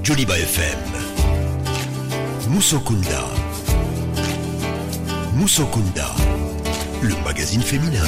Joliba FM. Musokunda. Musokunda, le magazine féminin.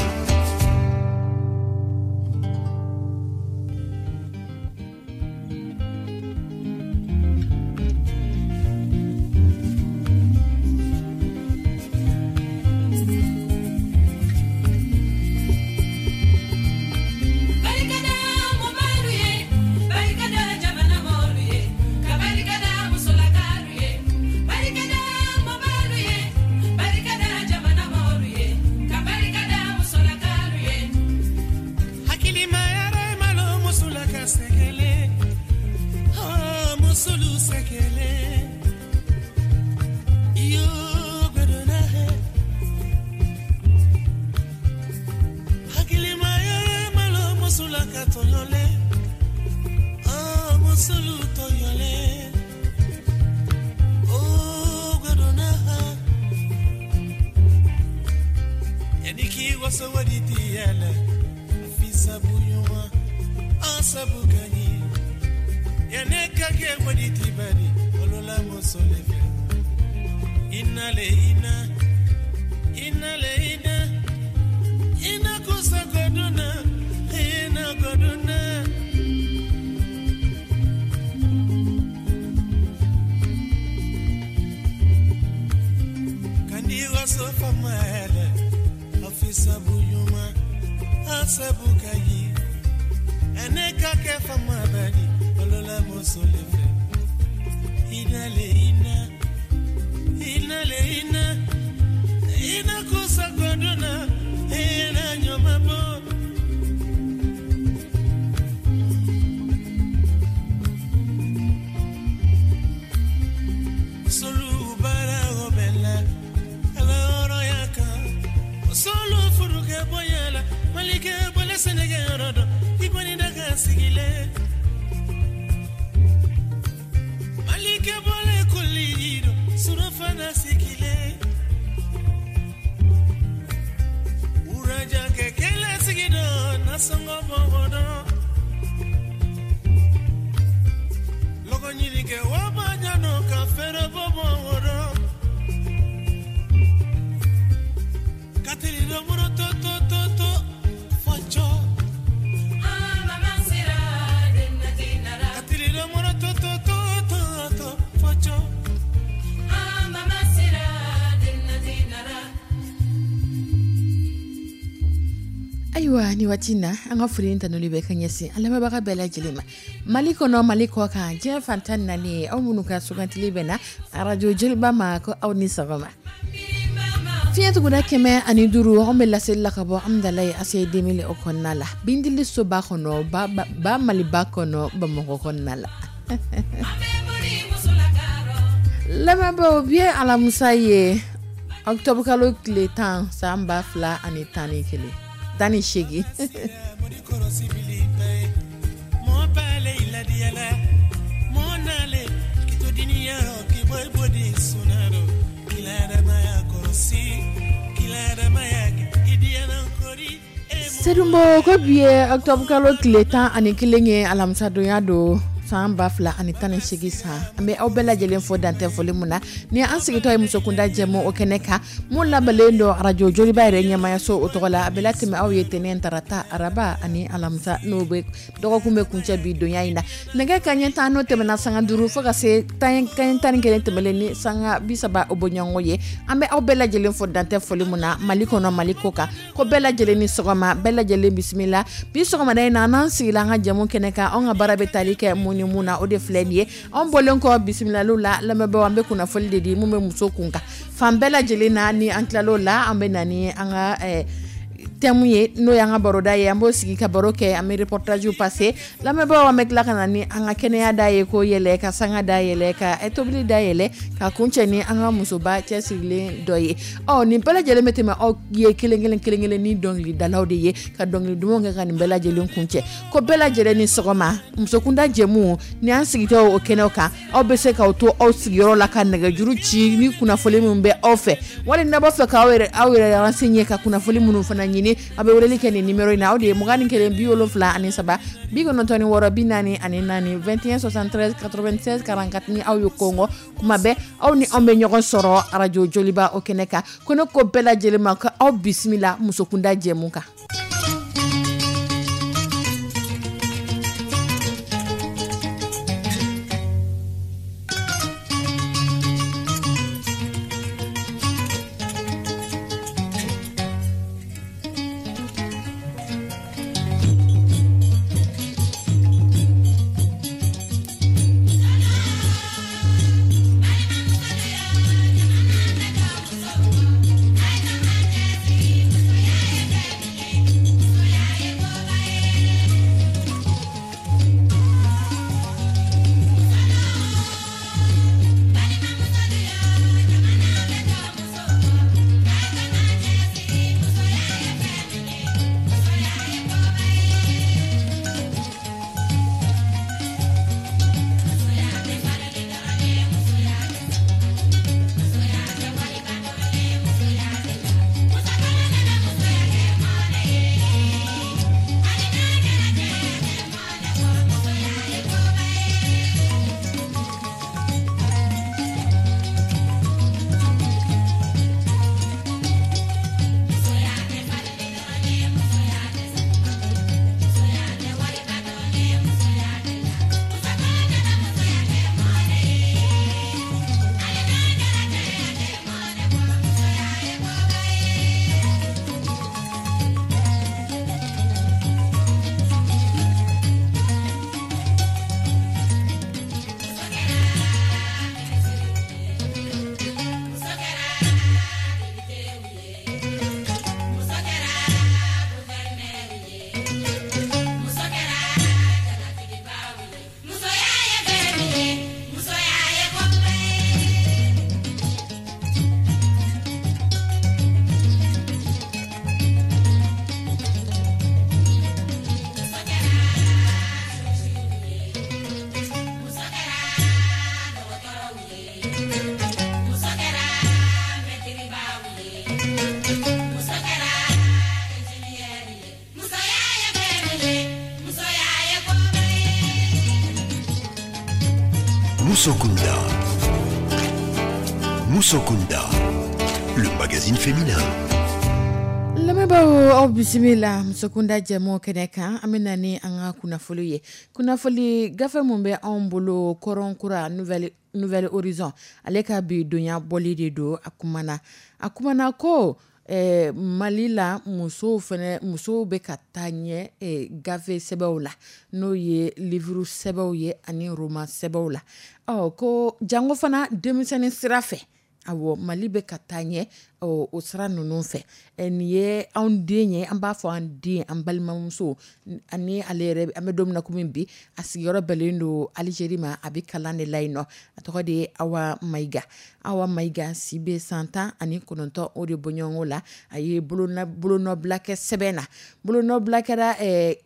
Ayiwa, ni waati na, an ka foli tanuli bɛ ka ɲɛsin an lamɛnbaga bɛɛ lajɛlen ma, Mali kɔnɔ, Mali kɔ kan, diɲɛ fan 14, aw minnu ka sugantili bɛ na Arajo Joliba ma, ko aw ni sɔgɔma. Fiɲɛ tuguda 105, anw bɛ laseli la ka bɔ Amudalayi ACI 2000 o kɔnɔna la, Bindili soba kɔnɔ, ba Maliba kɔnɔ, Bamakɔ kɔnɔna la. Lamɛnbaaw, bi ye alamisa ye, octobre kalo tile 10, san 2011, 18. Sedunbo ko bi ye octobre kalo tile 11 ye, alamisadonya don, san 2018 san. An bɛ aw bɛɛ lajɛlen fo dantɛ foli mun na ni an sigitɔ ye musokunda jɛmu o kɛnɛ kan, mun labɛnlen don Arajo Joliba yɛrɛ ɲɛmayaso o tɔgɔ la. A bɛ latɛmɛ aw ye tɛnɛn, tarata, araba ani alamisa, n'o bɛ dɔgɔkun bɛ kuncɛ bi donya in na. Nɛgɛ kanɲɛ 10 n'o tɛmɛna sanga 5 fo ka se kanɲɛ 11 tɛmɛlen ni sanga 30 o bɔɲɔgɔnko ye. An bɛ aw bɛɛ lajɛlen fo dantɛ foli mun na, Mali kɔnɔ, Mali kɔ kan, ko bɛɛ lajɛlen ni sɔgɔma, bɛɛ lajɛlen bisimila. Bi sɔgɔmada in na, n'an sigila an ka jɛmu kɛnɛ kan, anw ka baara bɛ tali kɛ mun ni mun na, o de filɛ nin ye. Anw bɔlen kɔ bisimilaliw la, lamɛnbaaw, an bɛ kunnafoli de di mun bɛ muso kun kan fan bɛɛ lajɛlen na. Ni an tilal'o la, an bɛ na ni an ka thème ye, n'o y'an ka baroda ye, an b'o sigi ka baro kɛ, an bɛ reportage passer. Lamɛnbaaw, an bɛ tila ka na ni an ka kɛnɛya da ye, ko yɛlɛ ka sanga da yɛlɛ, ka tobili da yɛlɛ, ka kuncɛ ni an ka musoba cɛsirilen dɔ ye. Ɔ, nin bɛɛ lajɛlen bɛ tɛmɛ aw ye kelen kelen kelen kelen ni dɔnkilidalaw de ye, ka dɔnkili dumanw kɛ ka nin bɛɛ lajɛlen kuncɛ. Ko bɛɛ lajɛlen ni sɔgɔma. Musokunda jɛmu ni an sigitɔ o kɛnɛw kan, aw bɛ se k'aw to aw sigiyɔrɔ la ka nɛgɛjuru ci ni kunnafoli minnu bɛ aw fɛ, wali n'a b'a fɛ k'aw yɛrɛ aw yɛrɛ renseigner, ka kunnafoli minnu fana ɲini. wele, aw bɛ weleli kɛ nin numéro in na, o de ye 21 73 96 44, 21 73 96 44. Ni aw ye kɔngɔ kuma bɛɛ, aw ni anw bɛ ɲɔgɔn sɔrɔ arajo Joliba o kɛnɛ kan. Ko ne ko bɛɛ lajɛlen ma ko aw bisimila Musokunda jɛmu kan. Musokunda. Musokunda, le magazine féminin. Lamɛnbaaw, aw bisimila Musokunda jɛmu kɛnɛ kan. An bɛ na ni an ka kunnafoli ye. Kunnafoli gafe mun bɛ anw bolo, Kɔrɔnkura, Nouvel Horizon, ale ka bi donya bɔli de don. A kumana ko Mali la, musow fɛnɛ, musow bɛ ka taa ɲɛ gafe sɛbɛnw la, n'o ye livre sɛbɛnw ye ani roman sɛbɛnw la. Ɔ ko jango fana denmisɛnnin sira fɛ, awɔ, Mali bɛ ka taa ɲɛ o sira ninnu fɛ. Nin ye anw den ye, an b'a fɔ an den, an balimamuso, ani ale yɛrɛ, an bɛ don min na komi bi, a sigiyɔrɔ bɛnnen don Alizeri ma, a bɛ kalan de la yen nɔ. A tɔgɔ de ye Awa Mayiga. Awa Mayiga si bɛ san 19 o de bɔɲɔgɔnko la. A ye bolonɔbila kɛ sɛbɛn na, bolonɔbila kɛra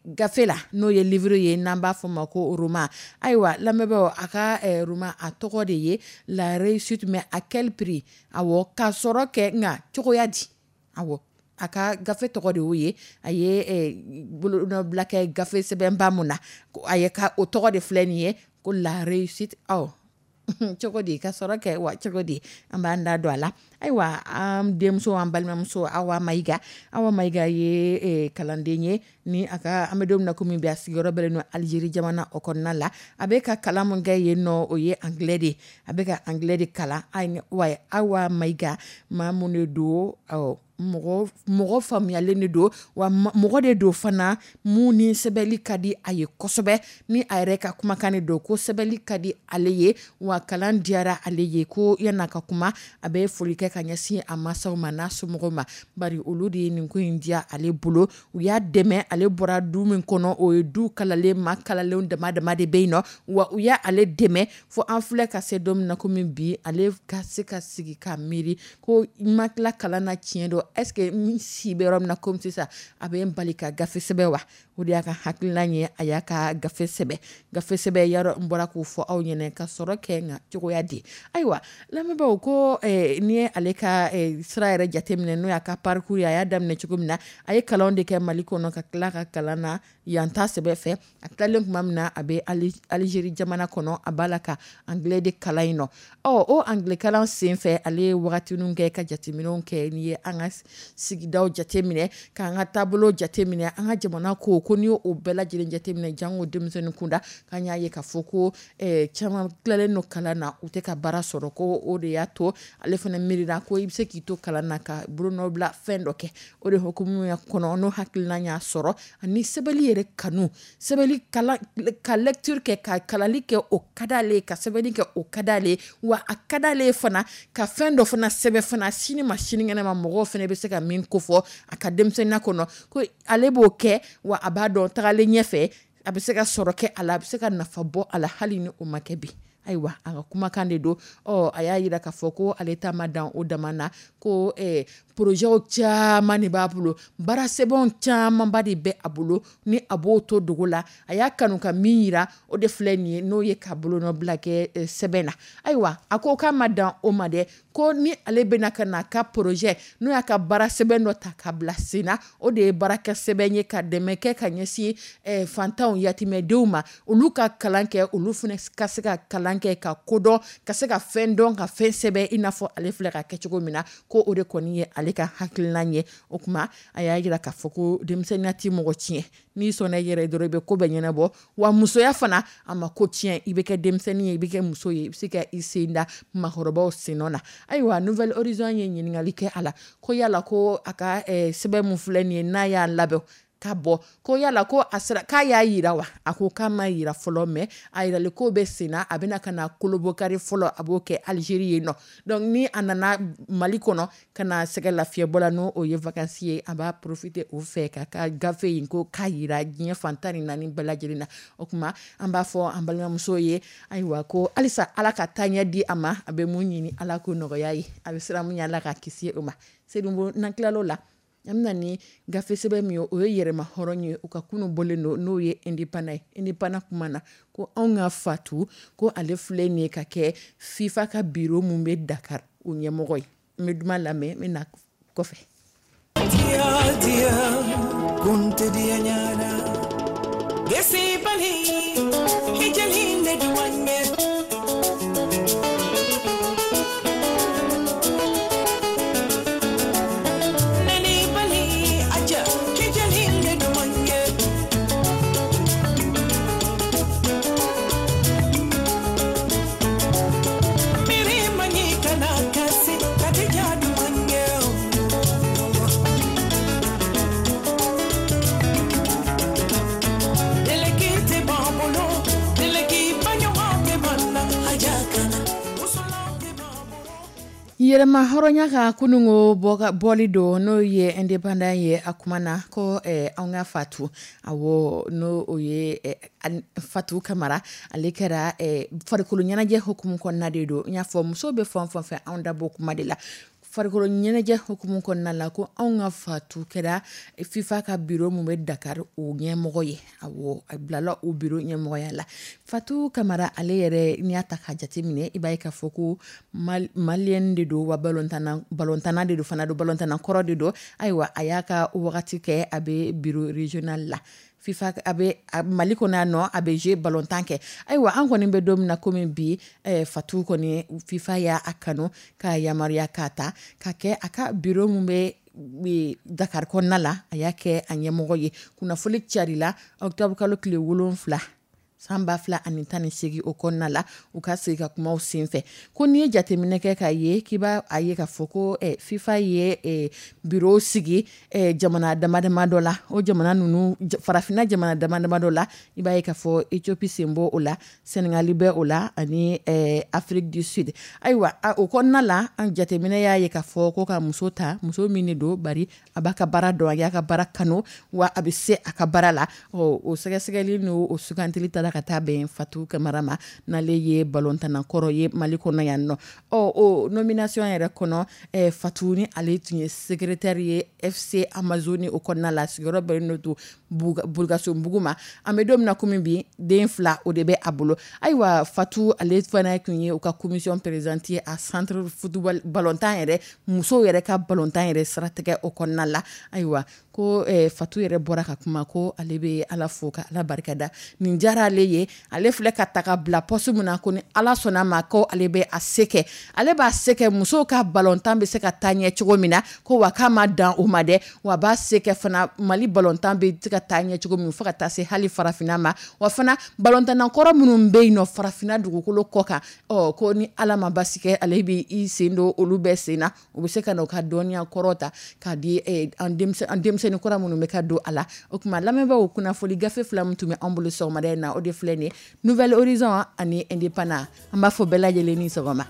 gafe la, n'o ye livre ye, n'an b'a fɔ ma ko roman. Ayiwa lamɛnbaaw, a ka roman, a tɔgɔ de ye "La réussite, mais à quel prix?" Awɔ, ka sɔrɔ kɛ nka cogoya di? Awɔ, a ka gafe tɔgɔ de y'o ye. A ye bolonɔbila kɛ gafe sɛbɛnba mun na, a ye ka o tɔgɔ de filɛ nin ye ko "La réussite". Ɔ cogo di ka sɔrɔ kɛ wa cogo di? An b'an da don a la. Ayiwa, an denmuso, an balimamuso Awa Mayiga, Awa Mayiga ye kalanden ye ni a ka, an bɛ don min na komi bi, a sigiyɔrɔ bɛnnen don Alizeri jamana o kɔnɔna la. A bɛ ka kalan mun kɛ yen nɔ, o ye anglais de ye. A bɛ ka anglais de kalan. Wa Awa Mayiga, maa mun de don, mɔgɔ mɔgɔ faamuyalen de don, wa mɔgɔ de don fana mun ni sɛbɛnni ka di a ye kosɛbɛ. Ni a yɛrɛ ka kumakan de don ko sɛbɛnni ka di ale ye, wa kalan diyara ale ye. Ko yan'a ka kuma, a bɛ foli kɛ ka ɲɛsin a mansaw ma n'a somɔgɔw ma, bari olu de ye nin ko in diya ale bolo, u y'a dɛmɛ. Ale bɔra du min kɔnɔ, o ye du kalalen, maa kalalenw dama dama de bɛ yen nɔ, wa u y'ale dɛmɛ fo an filɛ ka se don min na komi bi, ale ka se ka sigi ka miiri ko n ma tila kalan na tiɲɛ don. est-ce que n si bɛ yɔrɔ min na komi sisan, a bɛ n bali ka gafe sɛbɛn wa? O de y'a ka hakilina ye, a y'a ka gafe sɛbɛn. Gafe sɛbɛn yarɔ, n bɔra k'o fɔ aw ɲɛna ka sɔrɔ kɛ, nka cogoya di? Ayiwa lamɛnbaaw, ko n'i ye ale ka sira yɛrɛ jateminɛ, n'o y'a ka parcours ye, a y'a daminɛ cogo min na, a ye kalanw de kɛ Mali kɔnɔ, ka tila ka kalan na yan ta sɛbɛ fɛ. A tilalen tuma min na, a bɛ Algérie jamana kɔnɔ, a b'a la ka anglais de kalan yen nɔ. Ɔ, o anglais kalan sen fɛ, ale ye wagatinin kɛ ka jateminɛw kɛ. N'i ye an ka sigidaw jateminɛ, k'an ka taabolo jateminɛ, an ka jamana ko n'i y'o bɛɛ lajɛlen jateminɛ, jango denmisɛnnin kunda, k'an y'a ye k'a fɔ ko caman tilalen don kalan na, u tɛ ka baara sɔrɔ. Ko o de y'a to ale fana miirila ko i bɛ se k'i to kalan na ka bolonɔbila fɛn dɔ kɛ. O de hukumu kɔnɔ, n'o hakilina y'a sɔrɔ, ani sɛbɛnni yɛrɛ kanu, sɛbɛnni kalan, ka lecture kɛ, ka kalali kɛ, o ka d'ale, ka sɛbɛnni kɛ, o ka d'ale. Wa a ka d'ale fana ka fɛn dɔ fana sɛbɛn fana, sini ma sinikɛnɛ ma, mɔgɔw fana bɛ se ka min kofɔ a ka denmisɛnninya kɔnɔ, ko ale b'o kɛ. Wa a b'a dɔn tagalen ɲɛfɛ, a bɛ se ka sɔrɔ kɛ a la, a bɛ se ka nafa bɔ a la, hali ni o ma kɛ bi. Ayiwa, a ka kumakan de don. Ɔ, a y'a jira k'a fɔ ko ale ta ma dan o dama na, ko projets caman de b'a bolo, baara sɛbɛnw camanba de bɛ a bolo ni a b'o to dogo la. A y'a kanu ka min yira, o de filɛ nin ye, n'o ye ka bolonɔbila kɛ sɛbɛn na. Ayiwa, a ko k'a ma dan o ma dɛ, ko ni ale bɛna ka na ka projet, n'o y'a ka baara sɛbɛn dɔ ta ka bila sen na, o de ye baarakɛ sɛbɛn ye ka dɛmɛ kɛ ka ɲɛsin fantanw, yatimɛdenw ma, olu ka kalan kɛ, olu fana ka se ka kalan kɛ, ka kodɔn, ka se ka fɛn dɔn, ka fɛn sɛbɛn, i n'a fɔ ale filɛ ka kɛ cogo min na. Ko o de kɔni ye ale ka hakilina ye. O tuma a y'a jira k'a fɔ ko denmisɛnninya tɛ mɔgɔ tiɲɛ, n'i sɔnna i yɛrɛ dɔrɔn, i bɛ ko bɛɛ ɲɛnabɔ. Wa musoya fana, a ma ko tiɲɛ. I bɛ kɛ denmisɛnnin ye, i bɛ kɛ muso ye, i bɛ se ka i sen da maakɔrɔbaw sen nɔ na. Ayiwa, Nouvel Horizon ye ɲininkali kɛ a la, ko yala ko a ka sɛbɛn min filɛ nin ye, n'a y'a labɛn ka bɔ, ko yala ko a sera k'a y'a yira wa? A ko k'a ma yira fɔlɔ, mais a yirali ko bɛ sen na, a bɛna ka na kolobokari fɔlɔ, a b'o kɛ Algérie yen nɔ. Donc ni a nana Mali kɔnɔ ka na sɛgɛ lafiyɛbɔ la, n'o ye vacances ye, a b'a profiter o fɛ ka ka gafe in ko k'a yira diɲɛ fan 14 bɛɛ lajɛlen na. O tuma an b'a fɔ an balimamuso ye, ayiwa, ko halisa Ala ka taaɲɛ di a ma. A bɛ mun ɲini, Ala k'o nɔgɔya ye. A bɛ siran mun ɲɛ, Ala ka kisi o ma. Seydou, n'an tilal'o la, an bɛna ni gafe sɛbɛn min ye, o ye yɛrɛma hɔrɔn ye, u ka kunun bɔlen don, n'o ye Indépendant ye. Indépendant kuma na, ko anw ka Fatu, ko ale filɛ nin ye ka kɛ FIFA ka bureau mun bɛ Dakar, o ɲɛmɔgɔ ye. N bɛ duman lamɛn, n bɛ na kɔfɛ. Yɛrɛma hɔrɔnya ka kununko bɔli don, n'o ye Indépendant ye, a kuma na ko an ka Fatu, awɔ, n'o o ye Fatu Kamara, ale kɛra farikolo ɲɛnajɛ hukumu kɔnɔna de don. N y'a fɔ musow bɛ fan fɛn fɛ, anw da b'o kuma de la, farikolo ɲɛnajɛ hukumu kɔnɔna la, ko anw ka Fatu kɛra FIFA ka bureau mun bɛ Dakar, o ɲɛmɔgɔ ye. Awɔ, a bilala o bureau ɲɛmɔgɔya la. Fatu Kamara ale yɛrɛ, n'i y'a ta k'a jateminɛ, i b'a ye k'a fɔ ko maliyɛn de don, wa balontanna de don fana don, balontanna kɔrɔ de don. Ayiwa, a y'a ka wagati kɛ, a bɛ bureau régional la FIFA, a bɛ Mali kɔnɔ yan nɔ, a bɛ jouer balontan kɛ. Ayiwa, an kɔni bɛ don min na komi bi, Fatu kɔni, FIFA y'a kanu k'a yamaruya k'a ta ka kɛ a ka bureau mun bɛ Dakar kɔnɔna la, a y'a kɛ a ɲɛmɔgɔ ye. Kunnafoni carila octobre kalo tile 7 san 2018, o kɔnɔna la, u ka sigi ka kumaw senfɛ, ko n'i ye jateminɛ kɛ k'a ye k'i b'a a ye k'a fɔ ko FIFA ye bureau sigi jamana dama dama dɔ la, o jamana ninnu, farafinna jamana dama dama dɔ la, i b'a ye k'a fɔ Éthiopie sen bɔ o la, Sénégal bɛ o la, ani Afrique du Sud. Ayiwa, o kɔnɔna la, an jateminɛ y'a ye k'a fɔ ko ka muso ta, muso min de don, bari a b'a ka baara dɔn, a y'a ka baara kanu, wa a bɛ se a ka baara la. Ɔ, o sɛgɛsɛgɛli n'o o sugantili taara. taara ka taa bɛn Fatu Kamara ma, n'ale ye balontanna kɔrɔ ye Mali kɔnɔ yan nɔ. Ɔ, o nomination yɛrɛ kɔnɔ, Fatu ni ale tun ye secrétaire ye FC Amazone o kɔnɔna la, sigiyɔrɔ bɛnnen don Bulukasunbugu ma. An bɛ don min na komi bi, den 2, o de bɛ a bolo. Ayiwa, Fatu ale fana tun ye u ka commission présidente ye a centre football balontan yɛrɛ, musow yɛrɛ ka balontan yɛrɛ siratigɛ o kɔnɔna la. Ayiwa, ko Fatu yɛrɛ bɔra ka kuma ko ale bɛ Ala fo ka Ala barikada, nin diyara ale ye. Ale filɛ ka ta ka bila poste min na, ko ni Ala sɔnna ma, ko ale bɛ a se kɛ, ale b'a se kɛ musow ka balontan bɛ se ka taa ɲɛ cogo min na. Ko wa k'a ma dan o ma dɛ, wa b'a se kɛ fana Mali balontan bɛ se ka taa ɲɛ cogo min, fo ka taa se hali farafinna ma. Wa fana balontanna kɔrɔ minnu bɛ yen nɔ farafinna dugukolo kɔ kan, ɔ, ko ni Ala ma basi kɛ, ale bɛ i sen don olu bɛɛ sen na, u bɛ se ka na u ka dɔnniya kɔrɔ ta k'a di an denmisɛnnin kura minnu bɛ ka don a la. O tuma, lamɛnbaaw, kunnafoni gafe 2 min tun bɛ an bolo sɔgɔmada in na, o de filɛ nin ye, Nouvel Horizon ani Indépendant. An b'a fɔ bɛɛ lajɛlen ni sɔgɔma.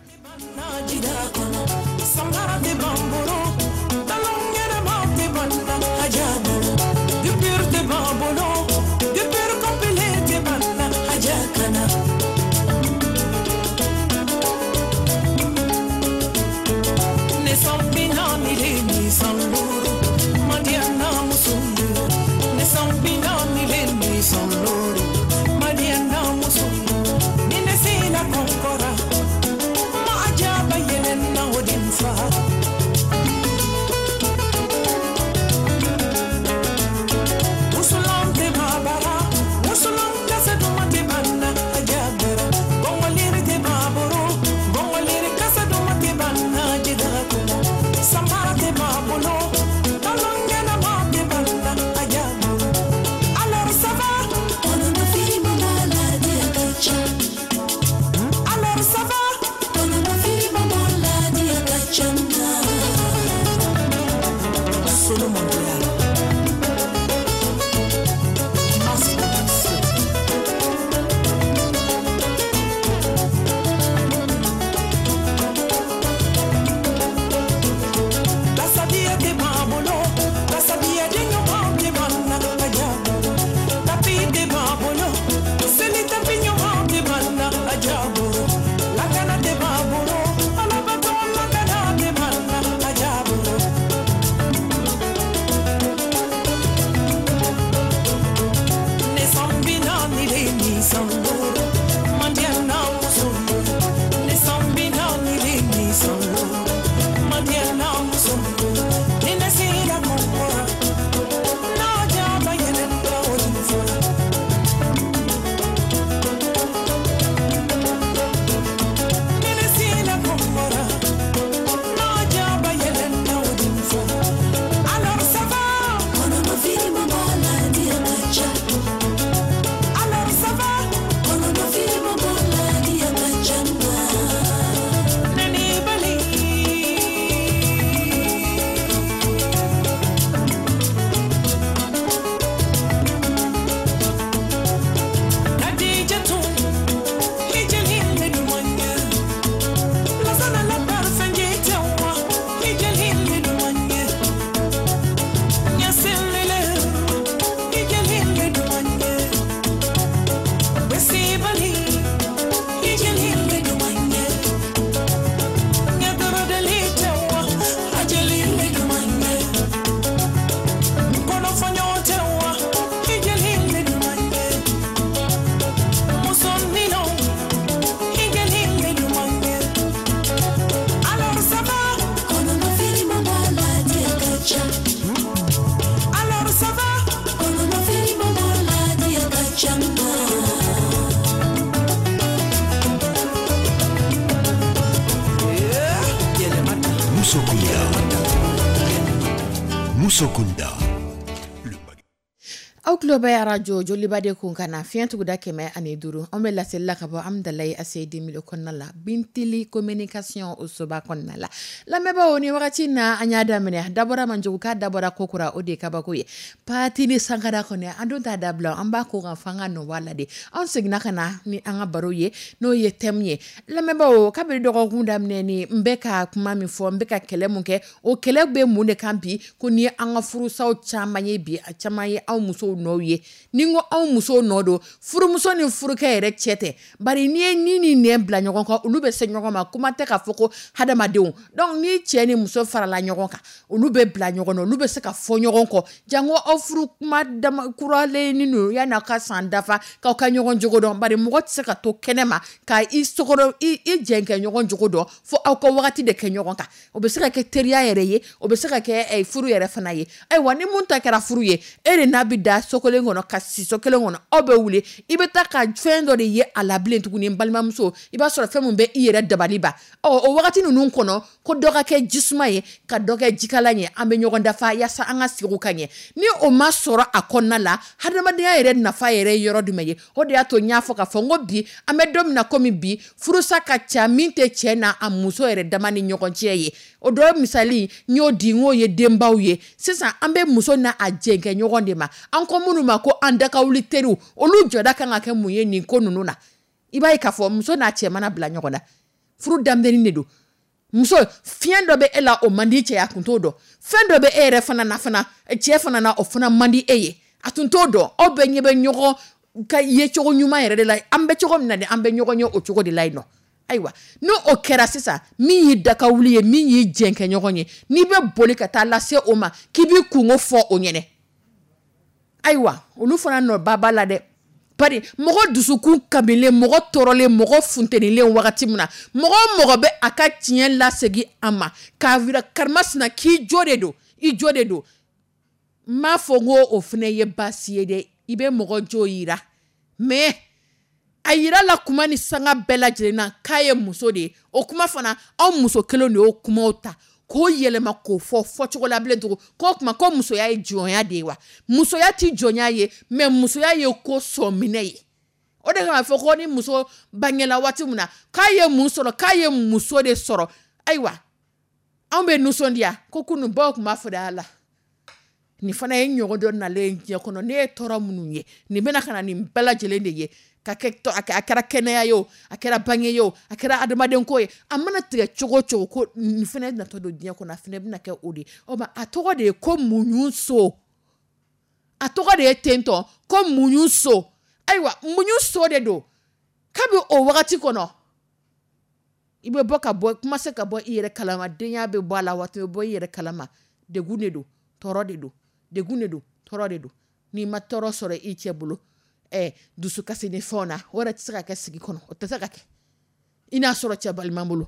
Musokunda. Aw tulo bɛ arajo Joliba de kun ka na fiɲɛ tuguda 105. An bɛ laseli la ka bɔ Amidalayi ACI 2000 kɔnɔna la, Bintili communication o soba kɔnɔna la. Lamɛnbaaw, ni wagati na an y'a daminɛ, dabɔra manjugu k'a dabɔra ko kura, o de ye kabako ye. Pati ni sankara kɔni, an dun t'a dabila, an b'a ko kan f'an ka nɔ bɔ a la de. An seginna ka na ni an ka baro ye, n'o ye thème ye. Lamɛnbaaw, kabini dɔgɔkun daminɛ ni n bɛ ka kuma min fɔ, n bɛ ka kɛlɛ mun kɛ, o kɛlɛ bɛ mun de kan bi? Ko ni an ka furusaw caman ye bi, a caman ye anw musow nɔ. nɔw ye. Ni n ko anw musow nɔ don, furumuso ni furukɛ yɛrɛ cɛ tɛ, bari n'i ye ni ni nɛn bila ɲɔgɔn kan, olu bɛ se ɲɔgɔn ma. Kuma tɛ k'a fɔ ko hadamadenw. Donc ni cɛ ni muso farala ɲɔgɔn kan, olu bɛ bila ɲɔgɔn na, olu bɛ se ka fɔ ɲɔgɔn kɔ. Jango aw furu kuma dama kuralen ni ninnu, yanni aw ka san dafa k'aw ka ɲɔgɔn jogo dɔn, bari mɔgɔ tɛ se ka to kɛnɛ ma ka i sokɔnɔ i jɛnkɛ ɲɔgɔn jogo dɔn fo aw ka wagati de kɛ ɲɔgɔn kan. O bɛ se ka kɛ teriya yɛrɛ ye, o bɛ se ka kɛ furu yɛrɛ fana ye. Ayiwa, ni mun ta kɛra furu ye, e de n'a bɛ da so kelen kɔnɔ, ka si so kelen kɔnɔ, aw bɛ wuli, i bɛ taa ka fɛn dɔ de ye a la bilen tuguni. N balimamuso, i b'a sɔrɔ fɛn min bɛ i yɛrɛ dabali ban. Ɔ, o wagati ninnu kɔnɔ, ko dɔ ka kɛ jisuma ye, ka dɔ kɛ jikalan ye, an bɛ ɲɔgɔn dafa yaasa an ka sigi ka ɲɛ. Ni o ma sɔrɔ a kɔnɔna la, hadamadenya yɛrɛ nafa yɛrɛ ye yɔrɔ jumɛn ye? O de y'a to n y'a fɔ k'a fɔ n ko bi an bɛ don min na komi bi, furusa ka ca min tɛ cɛ n'a a muso yɛrɛ dama ni ɲɔgɔn cɛ ye. O dɔ misali n y'o di, n k'o ye denbaw ye. Sisan an bɛ muso n'a a jɛnkɛ ɲɔgɔn de ma, an ko minnu ma ko an dakawuli teriw. Olu jɔda kan ka kɛ mun ye nin ko ninnu na? I b'a ye k'a fɔ muso n'a cɛ mana bila ɲɔgɔn na, furu daminɛni de don. Muso, fiɲɛ dɔ bɛ e la, o man di cɛ, a tun t'o dɔn. Fɛn dɔ bɛ e yɛrɛ fana na fana, cɛ fana na, o fana man di e ye, a tun t'o dɔn. Aw bɛɛ ɲɛ bɛ ɲɔgɔn ka yecogo ɲuman yɛrɛ de la. An bɛ cogo min na de, an bɛ ɲɔgɔn ye o cogo de la yen nɔ. Ayiwa, n'o o kɛra sisan, min y'i dakawuli ye, min y'i jɛnkɛ ɲɔgɔn ye, n'i bɛ boli ka taa lase o ma k'i b'i kungo fɔ o ɲɛnɛ, ayiwa, olu fana nɔ ba b'a la dɛ. Bari mɔgɔ dusukun kamilen, mɔgɔ tɔɔrɔlen, mɔgɔ funtenilen, wagati min na mɔgɔ o mɔgɔ bɛ a ka tiɲɛ lasegin a ma k'a yira karimasina k'i jo de don, i jo de don. N m'a fɔ n ko o fana ye baasi ye dɛ, i bɛ mɔgɔ jo yira, mais a yira la kuma ni sanga bɛɛ lajɛlen na k'a ye muso de ye. O kuma fana, anw muso kelen de y'o kumaw ta k'o yɛlɛma k'o fɔ fɔcogo la bilen tugun, k'o tuma ko musoya ye jɔnya de ye wa? Musoya ti jɔnya ye, mais musoya ye ko sɔminɛ ye. O de kama fɔ ko ni muso bangela waati min na k'a ye mun sɔrɔ, k'a ye muso de sɔrɔ. Ayiwa, anw bɛ nisɔndiya ko kunun baw tun b'a fɔ de, a la nin fana ye ɲɔgɔn dɔ nalen diɲɛ kɔnɔ, ne ye tɔɔrɔ minnu ye, nin bɛna ka na nin bɛɛ lajɛlen de ye ka kɛ, a kɛra kɛnɛya ye o, a kɛra bange ye o, a kɛra adamaden ko ye, a mana tigɛ cogo o cogo, ko nin fana natɔ don diɲɛ kɔnɔ, a fana bɛna kɛ o de ye. O ma, a tɔgɔ de ye ko muɲu so, a tɔgɔ de ye tentɔ ko muɲu so. Ayiwa, muɲu so de don. Kabi o wagati kɔnɔ, i bɛ bɔ ka bɔ kuma se ka bɔ i yɛrɛ kalama, denya bɛ bɔ a la, waati bɛ bɔ i yɛrɛ kalama. Degun de don, tɔɔrɔ de don, degun de don, tɔɔrɔ de don. N'i ma tɔɔrɔ sɔrɔ i cɛ bolo, dusukasi ni fɛnw na, o yɛrɛ tɛ se ka kɛ sigi kɔnɔ, o tɛ se ka kɛ. I n'a sɔrɔ cɛ balima bolo,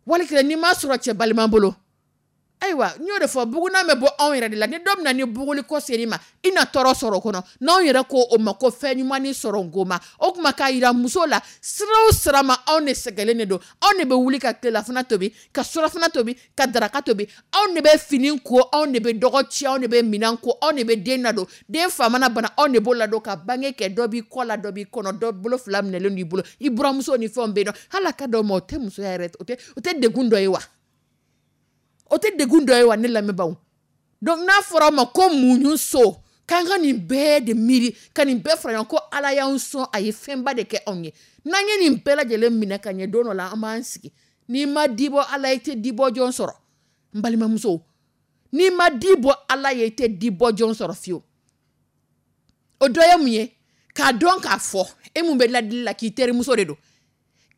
wali kelen n'i m'a sɔrɔ cɛ balima bolo. Ayiwa, n y'o de fɔ, bugunan bɛ bɔ anw yɛrɛ de la. Ni don min na ni buguli ko ser'i ma, i na tɔɔrɔ sɔrɔ o kɔnɔ. N'anw yɛrɛ ko o ma ko fɛn ɲuman ni sɔrɔ ngoma, o tuma k'a yira muso la, sira o sira ma, anw de sɛgɛnlen de don. Anw de bɛ wuli ka tilelafana tobi, ka surafana tobi, ka daraka tobi. Anw de bɛ fini ko, anw de bɛ dɔgɔ ci, anw de bɛ minɛn ko, anw de bɛ den ladon. Den fa mana bana, anw de b'o ladon ka bange kɛ. Dɔ b'i kɔ la, dɔ b'i kɔnɔ, dɔ bolo fila minɛlen don i bolo, i buramuso ni fɛnw bɛ yen nɔ. Hali a ka d'aw ma, o tɛ musoya yɛrɛ, o tɛ degun dɔ ye wa? O tɛ degun dɔ ye wa, ne lamɛnbaaw? Donc n'a fɔra aw ma ko muɲu so, k'an ka nin bɛɛ de miiri ka nin bɛɛ fara ɲɔgɔn ko Ala y'anw sɔn, a ye fɛnba de kɛ anw ye. N'an ye nin bɛɛ lajɛlen minɛ ka ɲɛ, don dɔ la an b'an sigi. N'i ma di bɔ Ala ye, i tɛ di bɔ jɔn sɔrɔ. N balimamuso, n'i ma di bɔ Ala ye, i tɛ di bɔ jɔn sɔrɔ fiyewu. O dɔ ye mun ye? K'a dɔn k'a fɔ e mun bɛ ladili la k'i terimuso de don,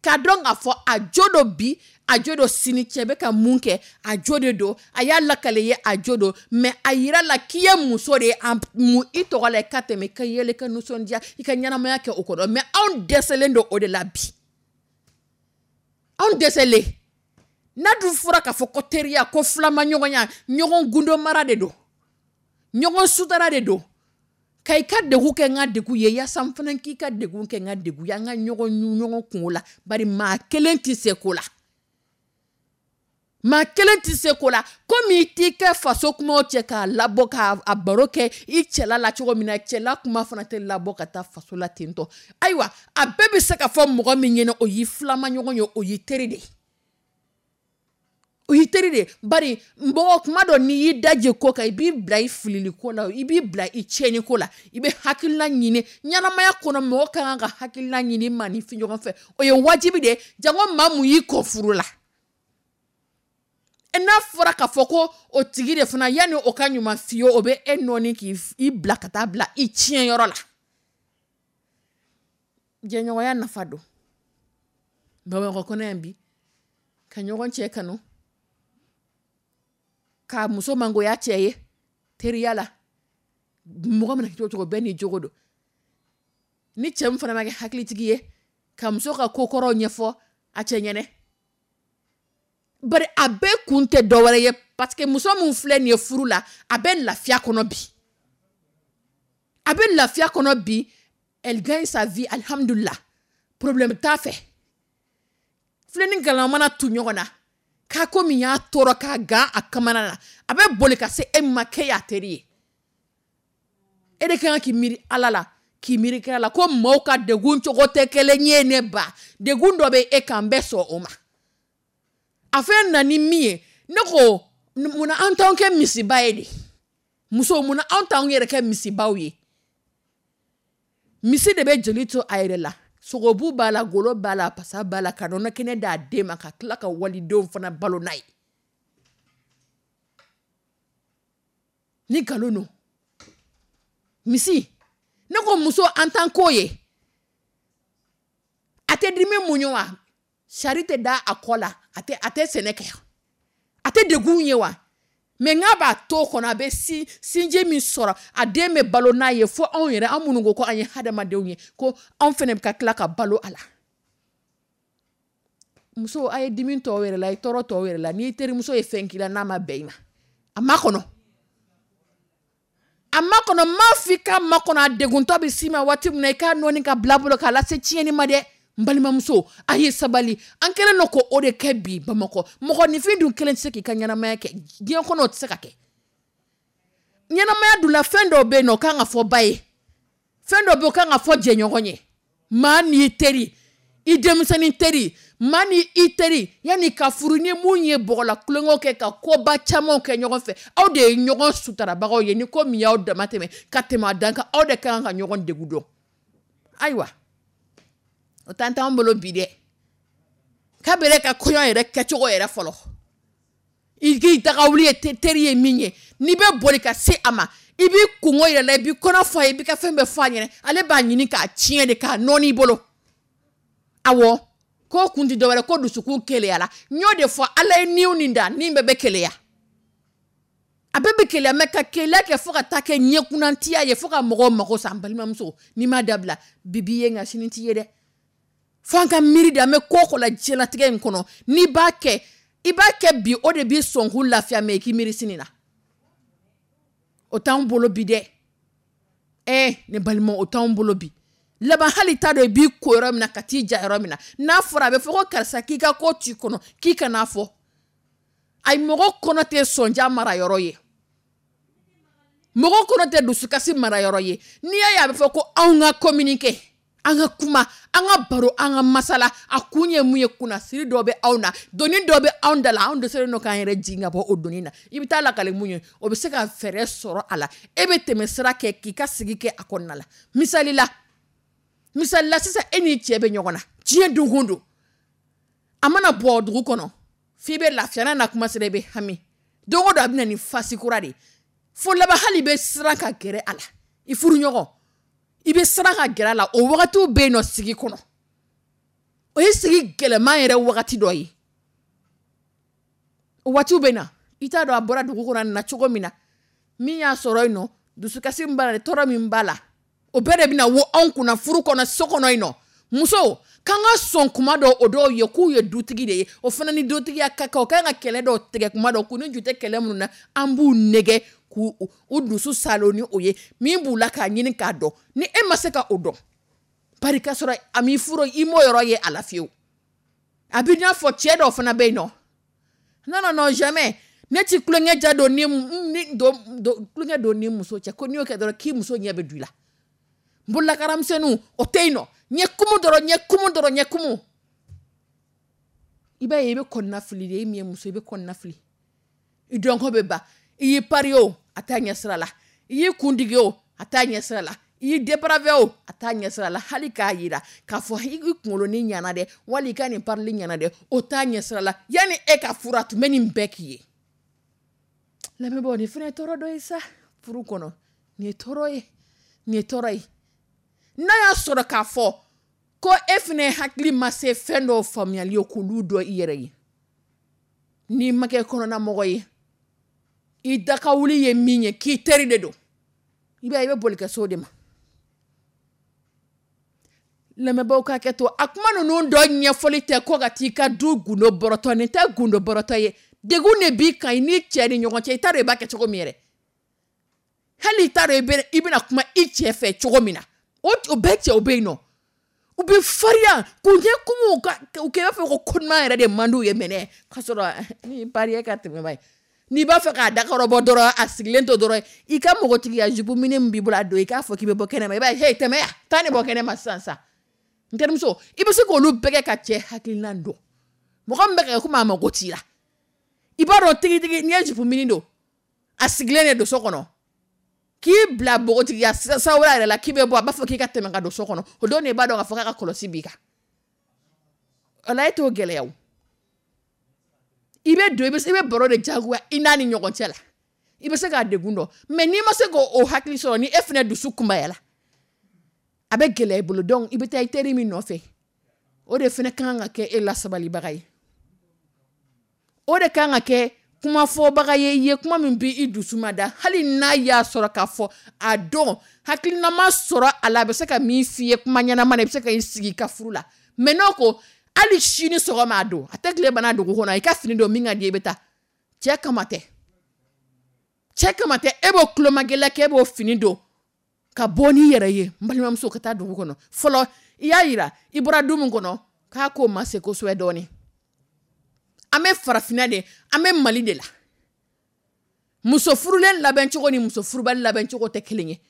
k'a dɔn k'a fɔ a jo dɔ bi, a jo dɔ sini, cɛ bɛ ka mun kɛ, a jo de don, a y'a lakale ye, a jo don, mais a yira la k'i ye muso de ye, a mun i tɔgɔ la, i ka tɛmɛ, i ka yɛlɛ, i ka nisɔndiya, i ka ɲɛnamaya kɛ o kɔnɔ. Mais anw dɛsɛlen don o de la bi, anw dɛsɛlen. N'a dun fɔra k'a fɔ ko teriya, ko filamaɲɔgɔnya, ɲɔgɔn gundo mara de don, ɲɔgɔn sutara de don, ka i ka degun kɛ n ka degun ye, yaasa n fana k'i ka degun kɛ n ka degun ye, an ka ɲɔgɔn ɲɔgɔn kungo la. Bari maa kelen tɛ se ko la, maa kelen tɛ se ko la. Komi i t'i kɛ faso kumaw cɛ k'a labɔ k'a baro kɛ i cɛla la cogo min na, cɛla kuma fana tɛ labɔ ka taa faso la ten tɔ. Ayiwa, a bɛɛ bɛ se ka fɔ mɔgɔ min ɲɛna, o y'i filamaɲɔgɔn ye, o y'i teri de ye, o y'i teri de. Bari mɔgɔ kuma dɔ, n'i y'i daje ko kan, i b'i bila i filili ko la, i b'i bila i tiɲɛni ko la. I bɛ hakilina ɲini ɲɛnamaya kɔnɔ. Mɔgɔ ka kan ka hakilina ɲini maa ni fi ɲɔgɔn fɛ, o ye wajibi de ye. Jango maa mun y'i kɔ furu la, N'a fɔra k'a fɔ ko o tigi de fana, yanni o ka ɲuman f'i ye, o bɛ e nɔɔni k'i bila ka taa bila i tiɲɛyɔrɔ la. Jɛɲɔgɔnya nafa don Bamakɔ kɔnɔ yan bi, ka ɲɔgɔn cɛ kanu, ka muso mangoya cɛ ye teriya la. Mɔgɔ mana kɛ cogo cogo, bɛɛ n'i jogo don. Ni cɛ min fana ma kɛ hakilitigi ye ka muso ka ko kɔrɔw ɲɛfɔ a cɛ ɲɛnɛ, bari a bɛɛ kun tɛ dɔwɛrɛ ye, parce que muso min filɛ nin ye furu la, a bɛ lafiya kɔnɔ bi, a bɛ lafiya kɔnɔ bi. Elle gagne sa vie, alhamdulillah, problème t'a fɛ. Filɛ ni galama mana tu ɲɔgɔn na k'a ko min y'a tɔɔrɔ k'a gan a kamana na, a bɛ boli ka se e ma k'e y'a teri ye. E de kan k'i miiri Ala la, k'i miiri kira la, ko maaw ka degun cogo tɛ kelen ye. Ne ba, degun dɔ bɛ e kan, n bɛ sɔn o ma. A fɛn na ni min ye, ne ko munna an t'anw kɛ misiba ye de? Muso, munna anw t'anw yɛrɛ kɛ misibaw ye? Misi de bɛ joli to a yɛrɛ la, sogobu b'a la, golo b'a la, pasa b'a la, ka nɔnɔ kɛnɛ d'a den ma, ka tila ka walidenw fana balo n'a ye. Ni nkalon don, misi. Ne ko muso, an t'an k'o ye. A tɛ dimi muɲu wa? Sari tɛ da a kɔ la, a tɛ sɛnɛ kɛ, a tɛ degun ye wa? Mais n'a b'a to kɔnɔ, a bɛ sinji min sɔrɔ, a den bɛ balo n'a ye. Fo anw yɛrɛ, an minnu ko an ye hadamadenw ye, ko anw fana bɛ ka tila ka balo a la. Muso, a ye dimi tɔw yɛrɛ la, a ye tɔɔrɔ tɔw yɛrɛ la. N'i terimuso ye fɛn k'i la, n'a ma bɛn i ma, a ma kɔnɔ, a ma kɔnɔ. M'a fɔ i k'a ma kɔnɔ, a deguntɔ bɛ s'i ma waati min na, i k'a nɔɔni ka bila bolo k'a lase tiɲɛni ma dɛ. N balimamuso, a ye sabali. An kɛlen don k'o de kɛ bi Bamakɔ. Mɔgɔninfin dun kelen tɛ se k'i ka ɲɛnamaya kɛ diɲɛ kɔnɔ, o tɛ se ka kɛ. Ɲɛnamaya dun la, fɛn dɔw bɛ yen nɔ, o kan ka fɔ ba ye, fɛn dɔw bɛ yen, o kan ka fɔ jɛɲɔgɔn ye. Maa n'i teri, i denmisɛnnin teri, maa ni i teri, yanni ka furu, ni mun ye bɔgɔla kulonkɛw kɛ, ka koba camanw kɛ ɲɔgɔn fɛ, aw de ye ɲɔgɔn sutarabagaw ye. Ni ko min y'aw dama tɛmɛ ka tɛmɛ a dan kan, aw de kan ka ɲɔgɔn degun dɔn. Ayiwa, o t'an t'anw bolo bi dɛ. Kabere ka kɔɲɔ yɛrɛ kɛcogo yɛrɛ fɔlɔ, i k'i dagawuli ye teri ye min ye, n'i bɛ boli ka se a ma, i b'i kungo yɛrɛ la, i b'i kɔnɔ fɔ a ye, i b'i ka fɛn bɛɛ fɔ a ɲɛna, ale b'a ɲini k'a tiɲɛ de, k'a nɔɔni i bolo. Awɔ, ko kun ti dɔwɛrɛ, ko dusukun keleyala. N y'o de fɔ, Ala ye niw nin da, nin bɛɛ bɛ keleya, a bɛɛ bɛ keleya. Mais ka keleya kɛ fo ka taa kɛ ɲɛkunnantiya ye, fo ka mɔgɔw mago sa. N balimamuso, n'i m'a dabila, bi b'i ye nka sini t'i ye dɛ. Fo an ka miiri de. An bɛ ko o ko la diɲɛlatigɛ in kɔnɔ, n'i b'a kɛ, i b'a kɛ bi, o de b'i sɔnkun lafiya. Mais i k'i miiri sini na, o t'anw bolo bi dɛ. Ne balima, o t'anw bolo bi. Laban hali t'a dɔn i b'i ko yɔrɔ min na ka t'i ja yɔrɔ min na. N'a fɔra, a bɛ fɔ ko karisa, k'i ka ko t'i kɔnɔ, k'i kan'a fɔ. Ayi, mɔgɔ kɔnɔ tɛ sɔnja mara yɔrɔ ye, mɔgɔ kɔnɔ tɛ dusukasi mara yɔrɔ ye. N'i y'a ye a bɛ fɔ ko anw ka communiquer, an ka kuma, an ka baro, an ka masala, a kun ye mun ye? Kunnasiri dɔ bɛ anw na, doni dɔ bɛ anw da la, anw dɛsɛlen don k'an yɛrɛ jigin ka bɔ o doni na. I bɛ taa lakale mun ye, o bɛ se ka fɛɛrɛ sɔrɔ a la, e bɛ tɛmɛ sira kɛ k'i ka sigi kɛ a kɔnɔna la. Misali la, sisan e n'i cɛ bɛ ɲɔgɔn na diɲɛ don o don, a mana bɔ dugu kɔnɔ f'i bɛ lafiya, n'a na kuma sera, i bɛ hami. Don o don a bɛ na ni fasi kura de ye, fo laban hali i bɛ siran ka gɛrɛ a la, i furuɲɔgɔn, i bɛ siran ka gɛrɛ a la. O wagatiw bɛ yen nɔ sigi kɔnɔ, o ye sigi gɛlɛman yɛrɛ wagati dɔ ye. O waatiw bɛ na, i t'a dɔn a bɔra dugu kɔnɔ a nana cogo min na, min y'a sɔrɔ yen nɔ, dusukasi min b'a la, tɔɔrɔ min b'a la, o bɛɛ de bɛna wo anw kunna furu kɔnɔ, so kɔnɔ yen nɔ. Muso k'an ka sɔn kuma dɔw, o dɔw ye k'u ye dutigi de ye, o fana ni dutigiya ka kan, o kan ka kɛlɛ dɔw tigɛ kuma dɔw, k'u ni ju tɛ kɛlɛ minnu na, an b'u nɛgɛ k'u u dusu salo ni o ye min b'u la k'a ɲini k'a dɔn. Ni e ma se ka o dɔn, bari ka sɔrɔ a m'i furu, i m'o yɔrɔ ye a la fiyewu. A b'i n'a fɔ cɛ dɔw fana bɛ yen nɔ, non, non, non, jamais ne ti kulonkɛ ja don ni don kulonkɛ don ni muso cɛ, ko n'i y'o kɛ dɔrɔn k'i muso ɲɛ bɛ don i la. Bololakaramisɛnninw, o tɛ yen nɔ, ɲɛ kumu dɔrɔn, ɲɛ kumu dɔrɔn, ɲɛ kumu. I b'a ye, i bɛ kɔnɔna fili de. E min ye muso, i bɛ kɔnɔna fili, i dɔnko bɛ ban. I y'i pari o, a t'a ɲɛ sira la. I y'i kun digi o, a t'a ɲɛ sira la. I y'i dépravé o, a t'a ɲɛsira la. Hali k'a yira k'a fɔ i kunkolo ni ɲana dɛ, wali i ka nin parili ɲana dɛ, o t'a ɲɛsira la. Yanni e ka furu, a tun bɛ nin bɛɛ k'i ye. Lamɛnbaaw, nin fana ye tɔɔrɔ dɔ ye sa furu kɔnɔ. Nin ye tɔɔrɔ ye, nin ye tɔɔrɔ ye. N'a y'a sɔrɔ k'a fɔ ko e fana hakili ma se fɛn dɔw faamuyali ye k'olu dɔn i yɛrɛ ye, n'i ma kɛ kɔnɔnamɔgɔ ye, i dakawuli ye min ye k'i teri de don, i b'a ye i bɛ boli ka se o de ma. Lamɛnbaaw ka hakɛ to, a kuma ninnu dɔ ɲɛfɔli tɛ ko ka t'i ka du gundo bɔrɔtɔ. Nin tɛ gundo bɔrɔtɔ ye, degun de b'i kan i ni cɛ ni ɲɔgɔn cɛ. I t'a dɔn i b'a kɛ cogo min yɛrɛ, hali i t'a dɔn i bɛna kuma i cɛ fɛ cogo min na. O bɛɛ cɛw bɛ yen nɔ, u bɛ farinya k'u ɲɛ kumu u kɛ i b'a fɔ ko ko ɲuman yɛrɛ de man d'u ye mɛnɛ, k'a sɔrɔ ni pariye ka tɛmɛ ba ye. N'i b'a fɛ k'a dakɔrɔbɔ dɔrɔn, a sigilen to dɔrɔn, i ka mɔgɔtigiya jupe mini min b'i bolo a don, i k'a fɔ k'i bɛ bɔ kɛnɛma, i b'a ye hey tɛmɛ yan, taa nin bɔ kɛnɛma sisan sisan. N terimuso, i bɛ se k'olu bɛɛ kɛ ka cɛ hakilina dɔn. Mɔgɔ min bɛ ka kɛ komi a mago t'i la, i b'a dɔn tigitigi n'i ye jupe mini don, a sigilen de don so kɔnɔ, k'i bila npogotigiya sawura yɛrɛ la k'i bɛ bɔ, a b'a fɔ k'i ka tɛmɛ ka don so kɔnɔ. O don de i b'a dɔn k'a fɔ k'a ka kɔlɔsi b'i kan. O la e t'o gɛlɛya o. I bɛ don, i bɛ baro de jagoya i n'a ni ɲɔgɔn cɛ la, i bɛ se k'a degun dɔn. Mais n'i ma se k'o hakili sɔrɔ, ni e fana dusu kunbayala, a bɛ gɛlɛya i bolo. Donc i bɛ taa i teri min nɔfɛ, o de fana kan ka kɛ e lasabalibaga ye, o de kan ka kɛ kumafɔbaga ye i ye kuma min b'i i dusu ma da. Hali n'a y'a sɔrɔ k'a fɔ a dɔn hakilinama sɔrɔ a la, a bɛ se ka min f'i ye kuma ɲɛnama na, i bɛ se ka i sigi i ka furu la. Mais n'o ko hali sini sɔgɔma a don, a tɛ tile bana dugu kɔnɔ, i ka fini don min ka di i bɛ taa. Cɛ kama tɛ, cɛ kama tɛ, e b'o tulomagɛlɛ kɛ, e b'o fini don ka bɔ n'i yɛrɛ ye. N balimamuso, ka taa dugu kɔnɔ fɔlɔ, i y'a yira i bɔra du min kɔnɔ k'a ko ma se kosɛbɛ dɔɔnin. An bɛ farafinna de, an bɛ Mali de la. Muso furulen labɛncogo ni muso furubali labɛncogo tɛ kelen ye.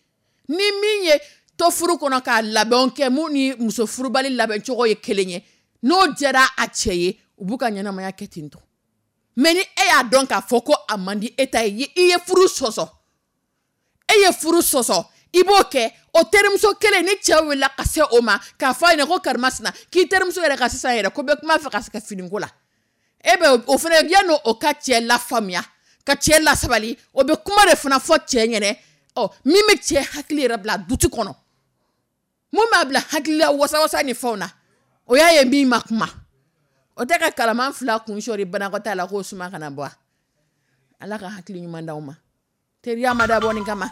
Ni min ye to furu kɔnɔ k'a labɛnw kɛ, mun ni muso furubali labɛncogo ye kelen ye, n'o diyara a cɛ ye, u b'u ka ɲɛnamaya kɛ ten tɔ. Mais ni e y'a dɔn k'a fɔ ko a man di e ta ye, i ye furu sɔsɔ, e ye furu sɔsɔ, i b'o kɛ. O terimuso kelen ni cɛ wulila ka se o ma k'a fɔ a ɲɛna ko karimasina k'i terimuso yɛrɛ ka sisan yɛrɛ ko bɛ kuma fɛ ka se ka finiko la, e bɛ o fana yanni o ka cɛ lafaamuya, ka cɛ lasabali, o bɛ kuma de fana fɔ cɛ ɲɛnɛ, ɔ min bɛ cɛ hakili yɛrɛ bila duti kɔnɔ, mun b'a bila hakilila wasawasa ni fɛnw na, o y'a ye min ma kuma. O tɛ ka kalaman fila kun sɔri banakɔtaa la k'o suma kana bɔ. Ala ka hakili ɲuman d'aw ma. Teriya ma dabɔ nin kama.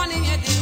Ne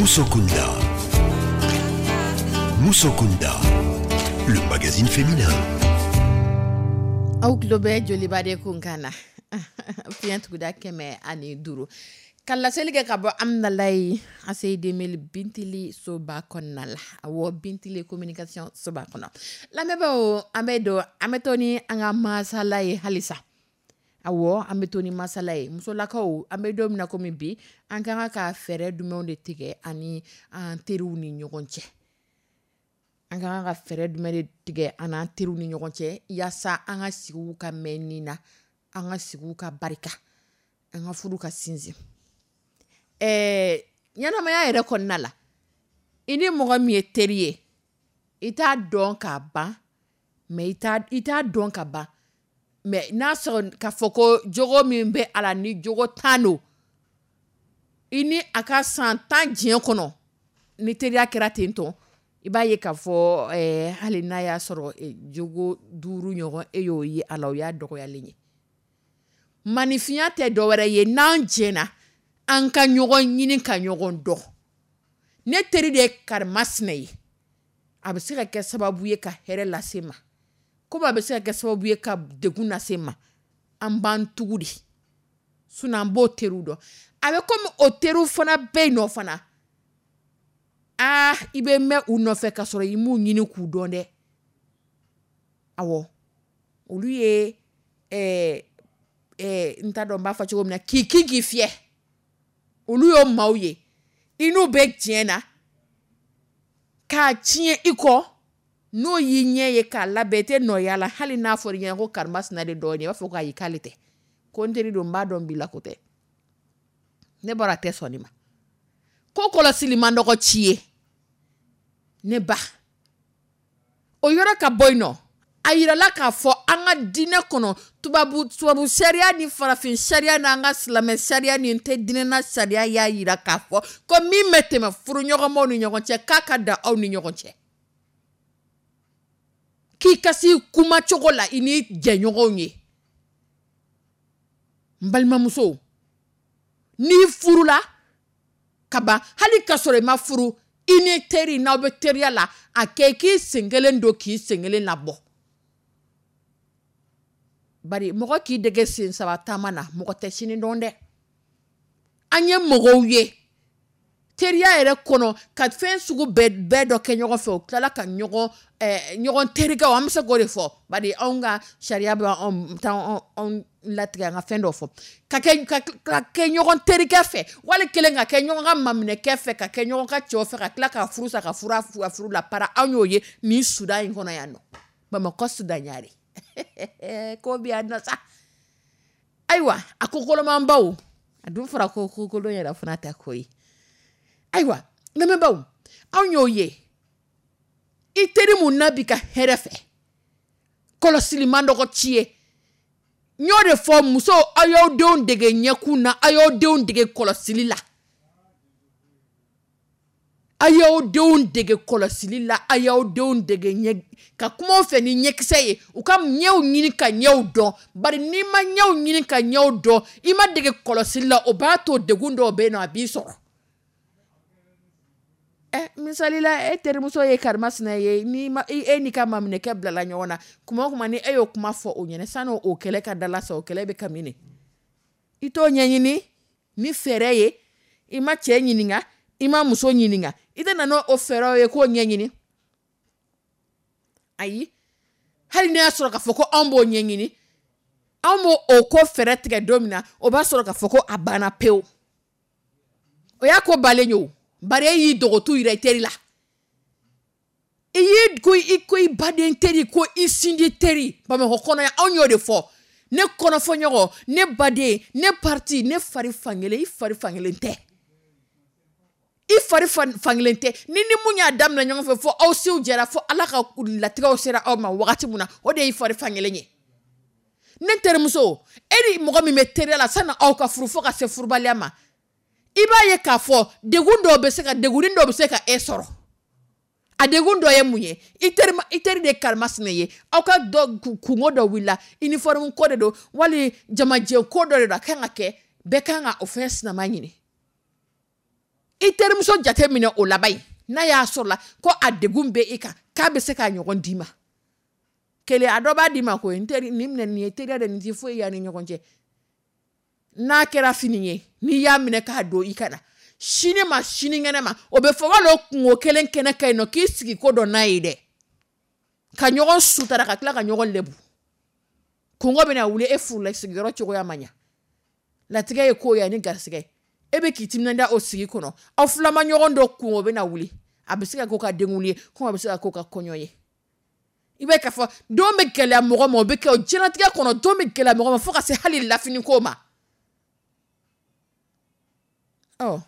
Musokunda. Musokunda, le magazine féminin. Aw tulo bɛ Joliba de kunkan na, fiɲɛ tuguda 105, ka laseli kɛ ka bɔ Amdalayi ACI 2000 Bintili soba kɔnɔna la. Awɔ, Bintili communication soba kɔnɔ. Lamɛnbaaw, an bɛ don, an bɛ to ni an ka masala ye halisa. Awɔ, an bɛ to ni masala ye. Musolakaw, an bɛ don min na komi bi, an ka kan ka fɛɛrɛ jumɛnw de tigɛ ani an teriw ni ɲɔgɔn cɛ? An ka kan ka fɛɛrɛ jumɛn de tigɛ an n'an teriw ni ɲɔgɔn cɛ, yaasa an ka sigiw ka mɛn nin na, an ka sigiw ka barika, an ka furu ka sinsin? Ɲɛnamaya yɛrɛ kɔnɔna la, i ni mɔgɔ min ye teri ye, i t'a dɔn k'a ban, mais i t'a dɔn ka ban, mais n'a sɔrɔ k'a fɔ ko jogo min bɛ a la, ni jogo tan don, i ni a ka san 10 diɲɛ kɔnɔ, ni teriya kɛra ten tɔ, i b'a ye k'a fɔ hali n'a y'a sɔrɔ jogo 5 ɲɔgɔn e y'o ye a la, o y'a dɔgɔyalen ye. Maninfinya tɛ dɔwɛrɛ ye n'an jɛna an ka ɲɔgɔn ɲini ka ɲɔgɔn dɔn. Ne teri de ye karimasina ye, a bɛ se ka kɛ sababu ye ka hɛrɛ lase ma, komi a bɛ se ka kɛ sababu ye ka degun lase ma. An b'an tugu de, sinon an b'o teriw dɔn. A bɛ komi o teriw fana bɛ yen nɔ fana, aa, i bɛ mɛn u nɔfɛ ka sɔrɔ i m'u ɲini k'u dɔn dɛ. Awɔ, olu ye ɛɛ ɛɛ n t'a dɔn n b'a fɔ cogo min na, k'i kin k'i fiyɛ, olu y'o maaw ye. I n'u bɛ tiɲɛ na k'a tiɲɛ i kɔ, n'o y'i ɲɛ ye k'a labɛn, i tɛ nɔ y'a la. Hali n'a fɔra i ɲɛna ko karimasina de dɔ ye, i b'a fɔ ko ayi, k'ale tɛ, ko n teri don, n b'a dɔn bi la, ko tɛ ne bɔra, a tɛ sɔn nin ma. Ko kɔlɔsili man dɔgɔ ci ye ne ba. O yɔrɔ ka bɔ yen nɔ, a yirala k'a fɔ an ka diinɛ kɔnɔ, tubabu sariya ni farafin sariya n'an ka silamɛ sariya ni tɛ diinɛna sariya y'a yira k'a fɔ ko min bɛ tɛmɛ furuɲɔgɔnmaw ni ɲɔgɔn cɛ, k'a ka da aw ni ɲɔgɔn cɛ, k'i ka s'i kuma cogo la i ni jɛɲɔgɔnw ye. N balimamuso, n'i furula ka ban, hali ka sɔrɔ i ma furu, i ni teri n'aw bɛ teriya la, a kɛ k'i sen kelen don k'i sen kelen labɔ. Bari mɔgɔ k'i dege sen saba taama na, mɔgɔ tɛ sini dɔn dɛ. An ye mɔgɔw ye teriya yɛrɛ kɔnɔ ka fɛn sugu bɛɛ dɔ kɛ ɲɔgɔn fɛ, u tilala ka ɲɔgɔn terikɛw, an bɛ se k'o de fɔ, bari anw ka sariya bɛ anw latigɛ an ka fɛn dɔ fɔ, ka kɛ ɲɔgɔn terikɛ fɛ, wali kelen ka kɛ ɲɔgɔn ka maminɛkɛ fɛ, ka kɛ ɲɔgɔn ka cɛw fɛ, ka tila ka furu sa, ka furu la para. Anw y'o ye nin Sudan in kɔnɔ yan nɔ, Bamakɔ Sudan ɲare ko bi yan nɔ sa. Ayiwa, a ko kolomanbaw, a dun fɔra ko kolon yɛrɛ fana tɛ ko ye. Ayiwa, lamɛnbaaw, anw y'o ye. I teri mun n'a b'i ka hɛrɛ fɛ, kɔlɔsili man dɔgɔ ci ye. N y'o de fɔ musow, aw y'aw denw dege ɲɛkun na, aw y'aw denw dege kɔlɔsili la, aw y'aw denw dege kɔlɔsili la, aw y'aw denw dege ɲɛ ka kumaw fɛ ni ɲɛkisɛ ye, u ka ɲɛw ɲini ka ɲɛw dɔn. Bari n'i ma ɲɛw ɲini ka ɲɛw dɔn, i ma dege kɔlɔsili la, o b'a to degun dɔw bɛ yen nɔ, a b'i sɔrɔ. Misali la, e terimuso ye karimasina ye, n'i ma e n'i ka maminɛkɛ bilala ɲɔgɔn na, kuma o kuma ni e y'o kuma fɔ o ɲɛna, sani o kɛlɛ ka dala sa, o kɛlɛ bɛ kami. I t'o ɲɛɲini ni fɛɛrɛ ye, i ma cɛ ɲininka, i ma muso ɲininka, i tɛ na n'o fɛɛrɛw ye k'o ɲɛɲini. Ayi, hali n'a y'a sɔrɔ k'a fɔ ko anw b'o ɲɛɲini, anw b'o o ko fɛɛrɛ tigɛ don min na, o b'a sɔrɔ k'a fɔ ko a banna pewu. O y'a ko balen ye o. Bari e y'i dogotu yira i teri la, i y'i ko i ko i baden teri, ko i sinji teri. Bamakɔ kɔnɔ yan, anw y'o de fɔ. Ne kɔnɔfɔɲɔgɔn, ne baden, ne parti, ne fari fankelen, i fari fankelen tɛ, i fari fankelen tɛ. Ni mun y'a daminɛ ɲɔgɔn fɛ, fo aw siw jɛra, fo Ala ka latigɛw sera aw ma wagati mun na, o de y'i fari fankelen ye. Ne terimuso, e ni mɔgɔ min bɛ teriya la, sani aw ka furu, fo ka se furubaliya ma, i b'a ye k'a fɔ degun dɔw bɛ se ka degunin dɔw bɛ se ka e sɔrɔ. A degun dɔ ye mun ye? I teri de ye karimasina ye, aw ka dɔ kungo dɔ wulila, uniforme ko de don, wali jamajɛ ko dɔ de don, a kan ka kɛ, bɛɛ kan ka o fɛn sinama ɲini. I terimuso jate minɛ o laban ye, n'a y'a sɔrɔ la ko a degun bɛ e kan, k'a bɛ se k'a ɲɔgɔn d'i ma. Kelen, a dɔ b'a d'i ma ko n teri, nin minɛ, nin ye teriya de, nin ti foyi y'an ni ɲɔgɔn cɛ. N'a kɛra fini ye, n'i y'a minɛ k'a don i ka na, sini ma sinikɛnɛ ma, o bɛ fɔ wali o kungo kelen kɛnɛ ka ɲi nɔ, k'i sigi ko dɔ n'a ye dɛ, ka ɲɔgɔn sutara, ka tila ka ɲɔgɔn lebu. Kungo bɛna wuli, e furula, sigiyɔrɔ cogoya ma ɲa, latigɛ ye ko ye ani garisɛgɛ, e bɛ k'i timinandiya o sigi kɔnɔ, aw fila ma ɲɔgɔn dɔn, kungo bɛna wuli, a bɛ se ka k'o ka denkundi ye, komi a bɛ se ka k'o ka kɔɲɔ ye. I bɛ k'a fɔ don bɛ gɛlɛya mɔgɔ ma, o bɛ kɛ o diɲɛlatigɛ kɔnɔ, don bɛ gɛlɛya mɔgɔ ma fo ka se hali lafiniko ma. Ɔ,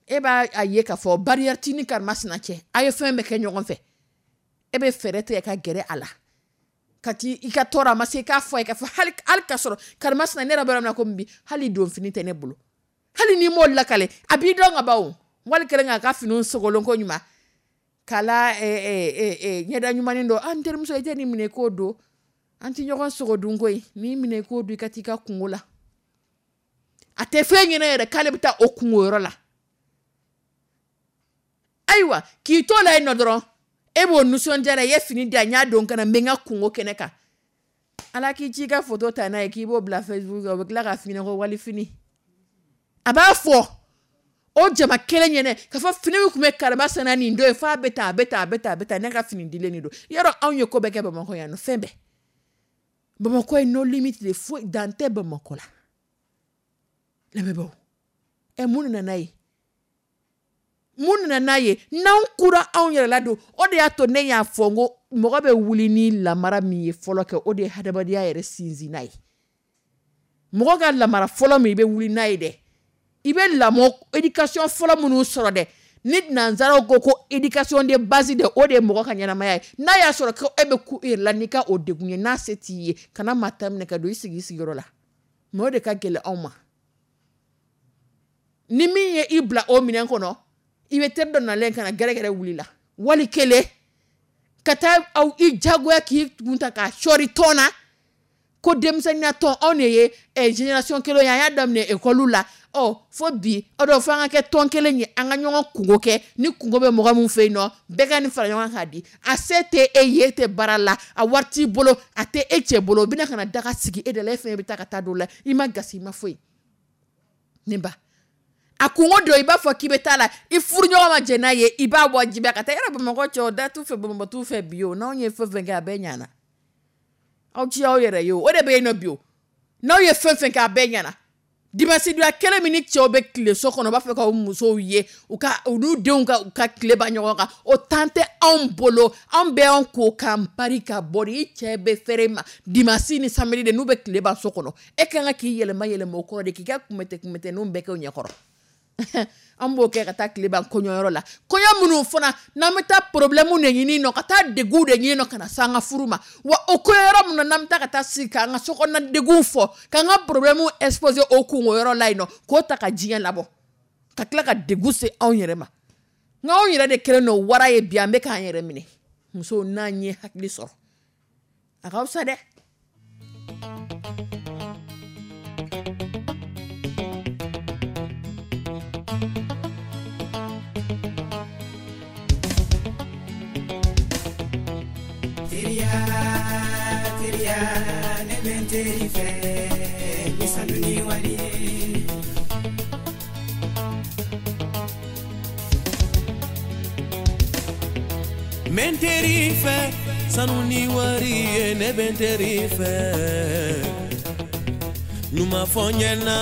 e b'a a ye k'a fɔ barrière t'i ni karimasina cɛ, a ye fɛn bɛɛ kɛ ɲɔgɔn fɛ, e bɛ fɛɛrɛ tigɛ ka gɛrɛ a la ka t'i i ka tɔɔrɔ, a ma se i k'a fɔ a ye k'a fɔ hali k'a sɔrɔ karimasina, ne yɛrɛ bɛ yɔrɔ min na komi bi, hali donfini tɛ ne bolo. Hali n'i m'o lakale, a b'i dɔn ka ban o. Wali kelen k'a ka finiw sogolon ko ɲuman k'a la ɲɛda ɲumanin dɔ, an terimuso, i tɛ nin minɛ k'o don, an tɛ ɲɔgɔn sogo dun koyi, n'i minɛ k'o don, i ka t'i ka kungo la. A tɛ fɛn ɲɛna yɛrɛ k'ale bɛ taa o kungo yɔrɔ la. Ayiwa, k'i to la yen nɔ dɔrɔn, e b'o nisɔndiya la, i ye fini di yan, n y'a don ka na, n bɛ n ka kungo kɛnɛ kan. Ala k'i ci i ka photo ta n'a ye k'i b'o bila Facebook kan, o bɛ tila k'a f'i ɲɛna ko wali fini. A b'a fɔ o jama kelen ɲɛnɛ k'a fɔ fini min tun bɛ karimasina nin don ye, f'a bɛ tan, a bɛ tan, a bɛ tan, a bɛ tan, ne ka fini dilen de don. Yɔrɔ anw ye ko bɛɛ kɛ Bamakɔ yan nɔ, fɛn bɛɛ. Bamakɔ ye no limite de, foyi dan tɛ Bamakɔ la. Lamɛnbaaw, ɛ, mun nana n'a ye? Mun nana n'a ye? N'anw kura anw yɛrɛ la don, o de y'a to ne y'a fɔ n ko mɔgɔ bɛ wuli ni lamara min ye fɔlɔ kɛ, o de ye hadamadenya yɛrɛ sinsinna ye. Mɔgɔ ka lamara fɔlɔ min i bɛ wuli n'a ye dɛ, i bɛ lamɔ éducation fɔlɔ minnu sɔrɔ dɛ, ni nanzaraw ko ko éducation de base dɛ, o de ye mɔgɔ ka ɲɛnamaya ye. N'a y'a sɔrɔ ko e bɛ ku i yɛrɛ la n'i ka o degun ye, n'a se t'i ye, kana maa ta minɛ ka don i sigi i sigiyɔrɔ la. Mais o de ka gɛlɛn anw ma. Ni min ye i bila o minɛn kɔnɔ, i bɛ teri dɔ nalen ka na gɛrɛgɛrɛ wuli la, wali kelen ka taa aw i jagoya k'i kun ta k'a sɔɔri tɔn na, ko denmisɛnninya tɔn, anw de ye génération kelen ye, an y'a daminɛ école la, ɔ fo bi, ɔ dɔn fo an ka kɛ tɔn kelen ye, an ka ɲɔgɔn kungo kɛ, ni kungo bɛ mɔgɔ min fɛ yen nɔ, bɛɛ ka nin fara ɲɔgɔn kan k'a di. A se tɛ e ye, e tɛ baara la, a wari t'i bolo, a tɛ e cɛ bolo, o bɛna ka na daga sigi e de la, e fɛn bɛ taa ka taa don la, i ma gasi, i ma foyi. Ne ba, a kungo dɔ i b'a fɔ k'i bɛ taa la, i furuɲɔgɔn ma jɛn n'a ye, i b'a wajibiya ka taa. Yɔrɔ Bamakɔ cɛw da t'u fɛ, Bamakɔ t'u fɛ bi o, n'anw ye fɛn fɛn kɛ a bɛɛ ɲana. Aw ci aw yɛrɛ ye o, o de bɛ yen nɔ bi o. N'aw ye fɛn fɛn kɛ a bɛɛ ɲana. Dimanche donya kelen min ni cɛw bɛ tile so kɔnɔ, u b'a fɛ k'aw musow ye, u ka u n'u denw ka u ka tile ban ɲɔgɔn kan, o temps tɛ anw bolo. Anw bɛ anw ko k'an pari ka bɔ de, i cɛ bɛ fɛrɛ ma dimanche ni samedi de, n'u bɛ tile ban so kɔnɔ, e ka kan k'i yɛlɛma yɛlɛma o kɔrɔ de, k'i ka kunbɛtɛ kunbɛtɛninw bɛɛ kɛ o ɲɛkɔrɔ. An b'o kɛ ka taa tile ban kɔɲɔyɔrɔ la, kɔɲɔ minnu fana n'an bɛ taa problème de ɲini nɔ, ka taa degun de ɲini nɔ ka na s'an ka furu ma. Wa o kɔɲɔyɔrɔ minnu na n'an bɛ taa ka taa sigi k'an ka sokɔnɔna degun fɔ, k'an ka problème exposer o kungoyɔrɔ la yen nɔ, k'o ta ka diɲɛ labɔ, ka tila ka degun se anw yɛrɛ ma. Nka anw yɛrɛ de kɛlen don wara ye bi, an bɛ k'an yɛrɛ minɛ. Musow, n'an ye hakili sɔrɔ, a ka fisa dɛ. Teriya, teriya, ne bɛ n teri fɛ ni sanu ni wari ye. N bɛ n teri fɛ sanu ni wari ye, ne bɛ n teri fɛ. Ɲuman fɔ n ɲɛna,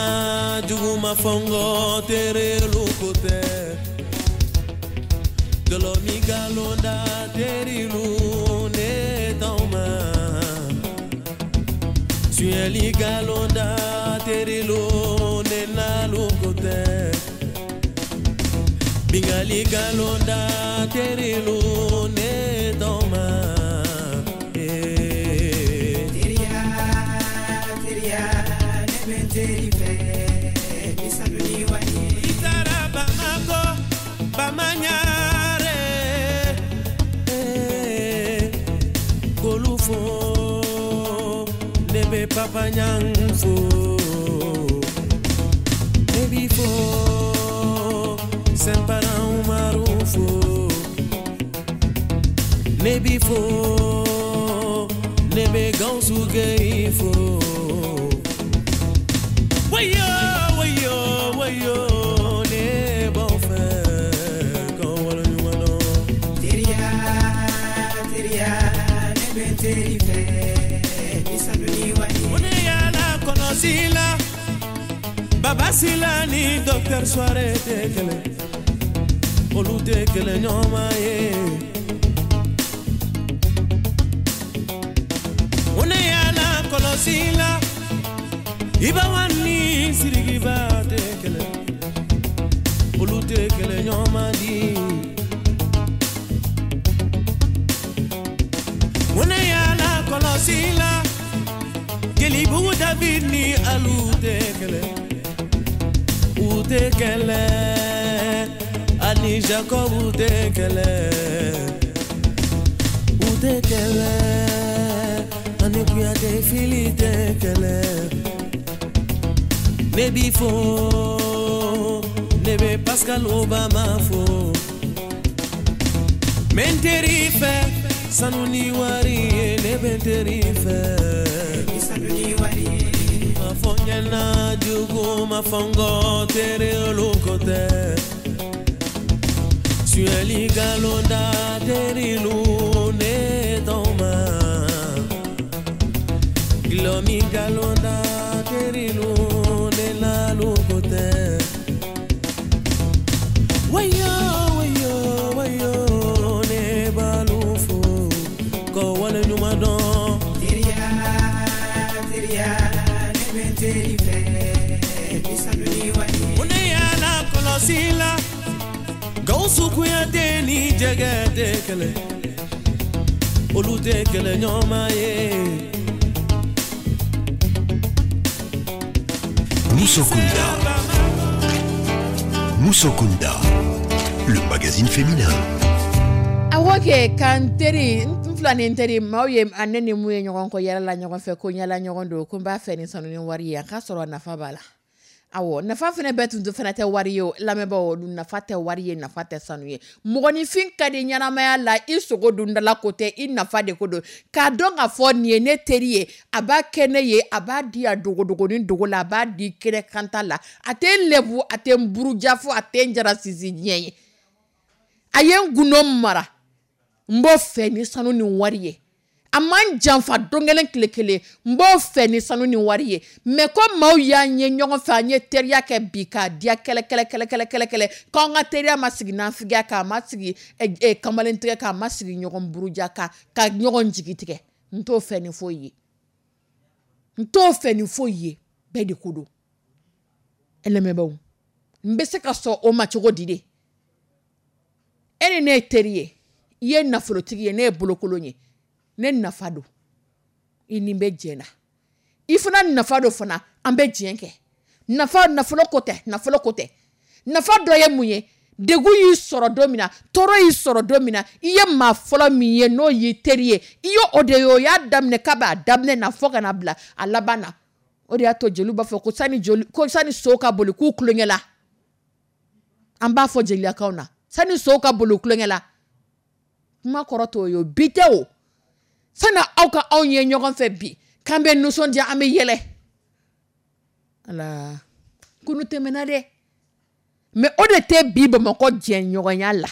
jugu ma fɔ n kɔ, terelu ko tɛ. Gɔlɔ mi galon da terilu ne t'anw ma. Suyɛli galon da terilu ne n'alu ko tɛ. Bingali galon da terilu ne t'anw ma. Teriya, teriya, ne bɛ n teri fɛ ni sanu ni wari ye. I taara Bamakɔ, Bamaɲare, k'olu fo, ne bɛ Papa Ɲang fo, ne b'i fo, Sɛnpara Umaru fo, ne b'i fo, ne bɛ Gawusu Geyi fo. Wayo, wayo, wayo, ne b'aw fɛ k'aw waleɲuman dɔn. Teriya, teriya, ne bɛ n teri fɛ ni sanu ni wari ye. Ne yala kɔlɔsi la, Baba Sila ni Docteur Soare tɛ kelen, olu tɛ kelen ɲɔgɔn ye. Ne yala kɔlɔsi la, Iba ni Sirikiba tɛ kelen, olu tɛ kelen ɲɔgɔn di. Ne yala kɔlɔsi la, Jelibugu David ni Alu tɛ kelen, u tɛ kelen, ani Jacob tɛ kelen, u tɛ kelen, ani Kuyate Fili tɛ kelen. Ne b'i fo, ne bɛ Pascal Obama fo. N bɛ n teri fɛ, sanu ni wari ye, ne bɛ n teri fɛ. Ni sanu ni wari ye. Ma fɔ n ɲɛna jugu ma fɔ n kɔ, tere olu ko tɛ. Suyɛli galonda terilu ne t'aw ma. Gulɔmi galonda terilu ne n'alu ko tɛ. Wayo, wayo, wayo, ne b'alu fo k'aw waleɲuman dɔn. Teriya, teriya, ne bɛ n teri fɛ ni sanu ni wari ye. Ne yala kɔlɔsi la, Gawusu Kuyate ni Jɛgɛ tɛ kelen, olu tɛ kelen ɲɔgɔn ye. Musokunda. Musokunda, le magazine féminin. A kɛ kan teri n fila ni teri maaw ye a ne ni mun ye ɲɔgɔn kɔ yala la ɲɔgɔn fɛ, ko yala ɲɔgɔn don, ko n b'a fɛ ni sanu ni wari ye, a k'a sɔrɔ nafa b'a la. Awɔ, nafa fana bɛɛ tun fana tɛ wari ye o, lamɛnbaaw, nafa tɛ wari ye, nafa tɛ sanu ye. Mɔgɔninfin ka di ɲɛnamaya la, i sogo dundala ko tɛ, i nafa de ko don. K'a dɔn k'a fɔ nin ye ne teri ye, a b'a kɛ ne ye, a b'a di a dogodogonin dogo la, a b'a di kɛnɛ kanta la, a tɛ n lebu, a tɛ n buruja fo a tɛ n jara sinsin diɲɛ ye. A ye n gundo mara, n b'o fɛ ni sanu ni wari ye. A man janfa don kelen tile kelen, n b'o fɛ ni sanu ni wari ye. Mais ko maaw y'an ye ɲɔgɔn fɛ, an ye teriya kɛ bi k'a diya kɛlɛ kɛlɛ kɛlɛ kɛlɛ kɛlɛ kɛlɛ, k'an ka teriya ma sigi nafigiya kan, a ma sigi kamalentigɛ kan, a ma sigi ɲɔgɔn buruja kan, ka ɲɔgɔn jigi tigɛ. N t'o fɛ ni foyi ye, n t'o fɛ ni foyi ye, bɛɛ de ko don. Lamɛnbaaw, n bɛ se ka sɔn o ma cogo di de? E ni ne ye teri ye, i ye nafolotigi ye, ne ye bolokolon ye, ne nafa don, i ni bɛ jɛ na, i fana nafa don fana, an bɛ diɲɛ kɛ. Nafa nafolo ko tɛ, nafolo ko tɛ. Nafa dɔ ye mun ye? Degun y'i sɔrɔ don min na, tɔɔrɔ y'i sɔrɔ don min na, i ye maa fɔlɔ min ye n'o y'i teri ye, i ye o de ye, o y'a daminɛ k'a b'a daminɛ na fo ka na bila a laban na. O de y'a to jeliw b'a fɔ ko sani joli, ko sani so ka boli k'u tulonkɛ la. An b'a fɔ jeliyakaw na, sani so ka boli tulonkɛ la. Kuma kɔrɔ t'o ye, bi tɛ o. Sani aw ka anw ye ɲɔgɔn fɛ bi, k'an bɛ nisɔndiya, an bɛ yɛlɛ. Ala, kunu tɛmɛna dɛ. Mais o de tɛ bi Bamakɔ jɛɲɔgɔnya la.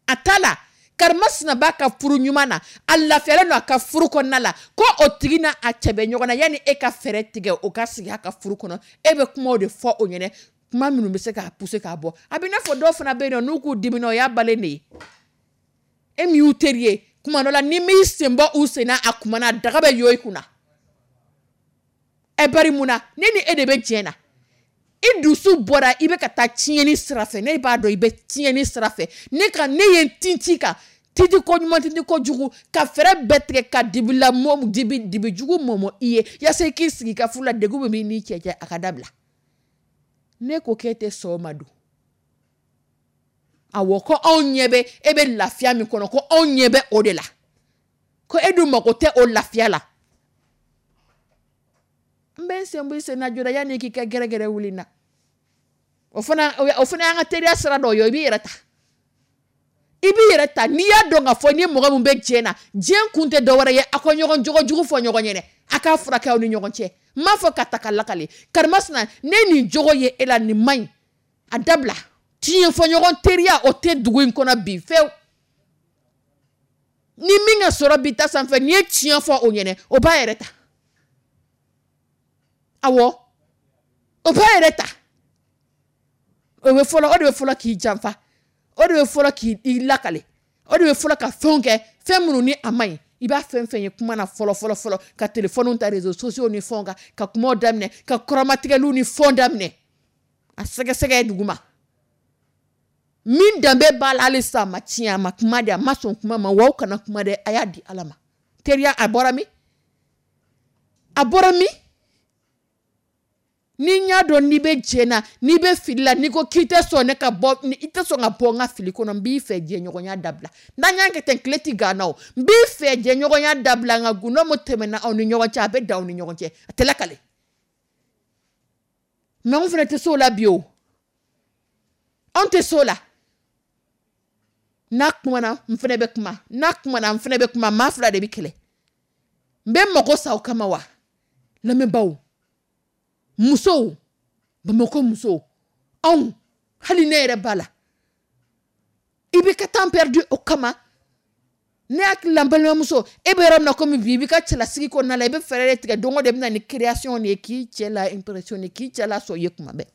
A t'a la, Karimasina b'a ka furu ɲuman na, a lafiyalen don a ka furu kɔnɔna la, ko o tigi n'a a cɛ bɛ ɲɔgɔn na, yanni e ka fɛɛrɛ tigɛ o ka sigi a ka furu kɔnɔ, e bɛ kumaw de fɔ o ɲɛnɛ, kuma minnu bɛ se k'a pousser k'a bɔ. A bɛ n'a fɔ dɔw fana bɛ yen nɔ, n'u k'u dimina, o y'a balen de ye. E min y'u teri ye, kuma dɔ la n'i m'i sen bɔ u sen na, a kuma na daga bɛ yo i kunna. Ɛ bari mun na, ne ni e de bɛ jɛ na. I dusu bɔra, i bɛ ka taa tiɲɛni sira fɛ, ne b'a dɔn i bɛ tiɲɛni sira fɛ. Ne ka ne ye n tintin kan, tintin ko ɲuman, tintin ko jugu, ka fɛɛrɛ bɛɛ tigɛ ka dibi la mɔ, dibi, dibi jugu mɔmɔ i ye, yaasa i k'i sigi i ka furu la, degun min b'i n'i cɛ cɛ, a ka dabila. Ne ko k'e tɛ sɔn o ma dun. Awɔ, ko anw ɲɛ bɛ e bɛ lafiya min kɔnɔ, ko anw ɲɛ bɛ o de la, ko e dun mago tɛ o lafiya la. N bɛ n sen bɔ i sen na joona yanni k'i ka gɛrɛgɛrɛ wuli n na. O fana y'an ka teriya sira dɔ ye. I b'i yɛrɛ ta, i b'i yɛrɛ ta. N'i y'a dɔn k'a fɔ ni mɔgɔ min bɛ diɲɛ na, diɲɛ kun tɛ dɔwɛrɛ ye, aw ka ɲɔgɔn jogo jugu fɔ ɲɔgɔn ɲɛna, a k'a furakɛ aw ni ɲɔgɔn cɛ. N m'a fɔ ka ta ka lakale, karimasina, ne nin jogo ye e la, nin man ɲi, a dabila. Tiɲɛ fɔ ɲɔgɔn teriya, o tɛ dugu in kɔnɔ bi fewu. Ni min ka sɔrɔ bi ta sanfɛ, n'i ye tiɲɛ fɔ o ɲɛnɛ, o b'a yɛrɛ ta. Awɔ, o b'a yɛrɛ ta. O bɛ fɔlɔ, o de bɛ fɔlɔ k'i janfa, o de bɛ fɔlɔ k'i lakale, o de bɛ fɔlɔ ka fɛnw kɛ, fɛn minnu ni a man ɲi. I b'a fɛn fɛn ye kuma na fɔlɔ fɔlɔ fɔlɔ, ka telefɔniw ta, réseaux sociaux ni fɛnw kan, ka kumaw daminɛ, ka kɔrɔmatigɛliw ni fɛnw daminɛ, a sɛgɛsɛgɛ duguma. Min danbe b'a la hali sisan, a ma tiɲɛ, a ma kuma de, a ma sɔn kuma ma. Wa aw kana kuma dɛ, a y'a di Ala ma. Teriya, a bɔra min? A bɔra min? Ni n y'a dɔn n'i bɛ jɛ na, n'i bɛ fili la, n'i ko k'i tɛ sɔn ne ka bɔ, i tɛ sɔn ka bɔ n ka fili kɔnɔ, n b'i fɛ jɛɲɔgɔnya dabila. N'an y'a kɛ ten, tile tɛ gan na o. N b'i fɛ jɛɲɔgɔnya dabila, nka gundo min tɛmɛna aw ni ɲɔgɔn cɛ, a bɛ dan aw ni ɲɔgɔn cɛ, a tɛ lakale. Mɛ anw fana tɛ se o la bi o, anw tɛ se o la. N'a kumana, n fana bɛ kuma, n'a kumana, n fana bɛ kuma, maa fila de bɛ kɛlɛ. N bɛ mago sa o kama wa? Lamɛnbaaw, musow, Bamakɔ musow, anw, hali ne yɛrɛ b'a la, i bɛ ka temps perdu o kama. Ne hakili la, n balimamuso, e bɛ yɔrɔ min na komi bi, i b'i ka cɛlasigi kɔnɔna la, i bɛ fɛɛrɛ de tigɛ don o don, i bɛ na ni création de ye k'i cɛ la impressionner, k'i cɛ la sɔn i ye kuma bɛɛ.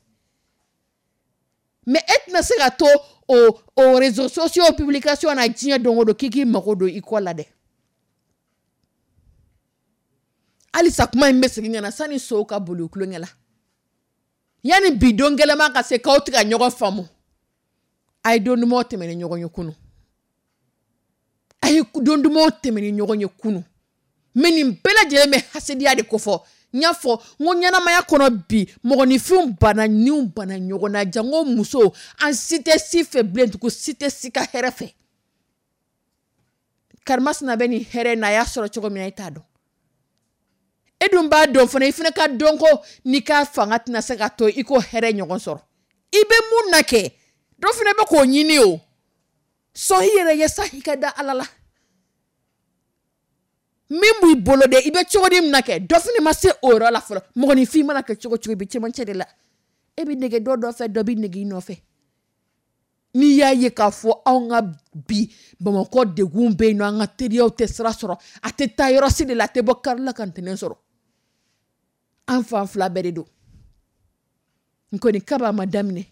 Mais e tɛna se ka to o réseaux sociaux publication na diɲɛ don o don k'i k'i mago don i kɔ la dɛ. Halisa kuma in bɛ segin ka na sani sow ka boli kulonkɛ la, yanni bi don gɛlɛman ka se k'aw tɛ ka ɲɔgɔn faamu. A ye don dumanw tɛmɛ ni ɲɔgɔn ye kunun, a ye don dumanw tɛmɛ ni ɲɔgɔn ye kunun. Mɛ nin bɛɛ lajɛlen bɛ hasidiya de kofɔ. N y'a fɔ n ko ɲɛnamaya kɔnɔ bi, mɔgɔninfinw banna, niw banna ɲɔgɔn na, janko musow. An si tɛ si fɛ bilen tugun, si tɛ si ka hɛrɛ fɛ. Karimasina bɛ nin hɛrɛ na, a y'a sɔrɔ cogo min na, e t'a dɔn. E dun b'a dɔn fana, i fana ka dɔn ko n'i ka fanga tɛna se ka to i ko hɛrɛ ɲɔgɔn sɔrɔ. I bɛ mun na kɛ, dɔ fana bɛ k'o ɲini o. Sɔn i yɛrɛ ye sa, i ka da Ala la. Min b'i bolo dɛ, i bɛ cogo di min na kɛ, dɔ fana ma se o yɔrɔ la fɔlɔ. Mɔgɔninfin mana kɛ cogo cogo, i bɛ cɛmancɛ de la. E bɛ nege dɔ nɔfɛ, dɔ bɛ nege i nɔfɛ. N'i y'a ye k'a fɔ anw ka bi Bamakɔ degun bɛ yen nɔ, an ka teriyaw tɛ sira sɔrɔ, a tɛ taa yɔrɔ si de la, a tɛ bɔ kari la ka ntɛnɛn sɔrɔ. An fan fila bɛɛ de don. N kɔni kaba ma daminɛ.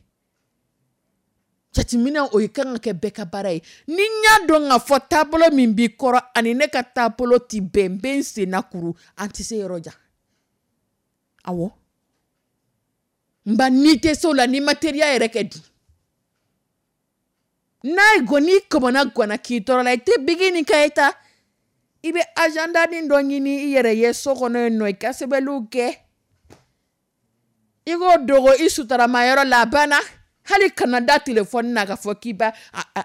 Jateminɛ o ye kan ka kɛ bɛɛ ka baara ye. Ni n y'a dɔn k'a fɔ taabolo min b'i kɔrɔ ani ne ka taabolo ti bɛn, n bɛ n sen na kuru, an tɛ se yɔrɔ jan. Awɔ, nba n'i tɛ se o la, n'i ma teriya yɛrɛ kɛ dun, n'a ye gɔn, n'i kɔmɔna gɔnna k'i tɔɔrɔ la, i tɛ bigi ni ka ta, i bɛ agenda ni dɔ ɲini i yɛrɛ ye so kɔnɔ yen nɔ, i ka sɛbɛnniw kɛ, i k'o dogo i sutarama yɔrɔ la, a banna. Hali kana da telefɔni na k'a fɔ k'i b'a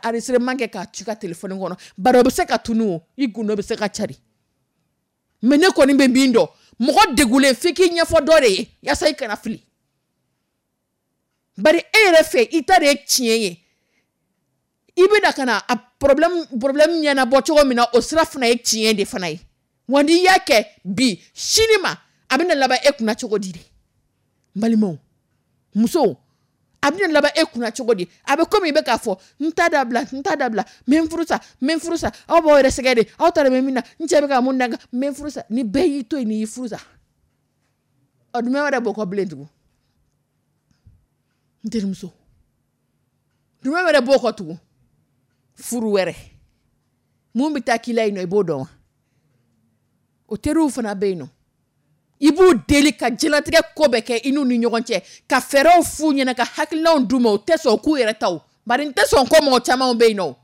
enregistrement kɛ k'a ci ka telefɔni kɔnɔ, bari o bɛ se ka tunu o, i gundo bɛ se ka cari. Mɛ ne kɔni bɛ min dɔn, mɔgɔ degulen f'i k'i ɲɛfɔ dɔ de ye yaasa i kana fili. Bari e yɛrɛ fɛ, i ta de ye tiɲɛ ye, i bɛna ka na a problème ɲɛnabɔ cogo min na, o sira fana ye tiɲɛ de fana ye. Wa n'i y'a kɛ bi, sini ma a bɛna laban e kunna cogo di de? N balimaw, musow, a bɛna laban e kunna cogo di? A bɛ komi i bɛ k'a fɔ n ta dabila, n ta dabila, n bɛ n furu sa, n bɛ n furu sa. Aw b'aw yɛrɛ sɛgɛn de, aw ta de bɛ min na, n cɛ bɛ ka mun da n kan, n bɛ n furu sa. Ni bɛɛ y'i to yen, n'i y'i furu sa, ɔ jumɛn wɛrɛ b'o kɔ bilen tugun? N terimuso, jumɛn wɛrɛ b'o kɔ tugun? Furu wɛrɛ mun bɛ taa k'i la yen nɔ, i b'o dɔn wa? O teriw fana bɛ yen nɔ, i b'u deli ka diɲɛlatigɛ ko bɛɛ kɛ i n'u ni ɲɔgɔn cɛ, ka fɛɛrɛw f'u ɲɛna, ka hakilinaw d'u ma, u tɛ sɔn k'u yɛrɛ ta o. Bari n tɛ sɔn ko mɔgɔ caman bɛ yen nɔ.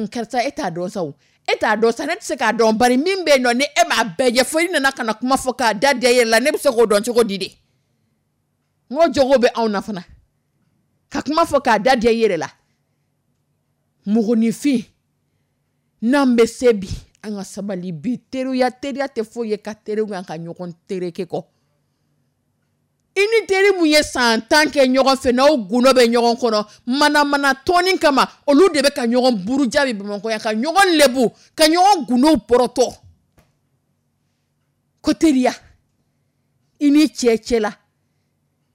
Karisa, e t'a dɔn sa o, e t'a dɔn sa, ne tɛ se k'a dɔn. Bari min bɛ yen nɔ, ni e m'a bɛɛ ɲɛfɔ, i nana ka na kuma fɔ k'a da diya i yɛrɛ la, ne bɛ se k'o dɔn cogo di de? N ko jogo bɛ anw na fana, ka kuma fɔ k'a da diya i yɛrɛ la. Mɔgɔninfin, n'an bɛ se bi, an ka sabali bi. Teriya, teriya tɛ foyi ye ka teriw kan ka ɲɔgɔn tereke kɔ. I ni teri mun ye san 10 kɛ ɲɔgɔn fɛ, n'aw gundo bɛ ɲɔgɔn kɔnɔ, manamana tɔnni kama, olu de bɛ ka ɲɔgɔn buruja bi Bamakɔ yan, ka ɲɔgɔn lebu, ka ɲɔgɔn gundow pɔrɔtɔ. Ko teriya, i ni cɛ cɛ la,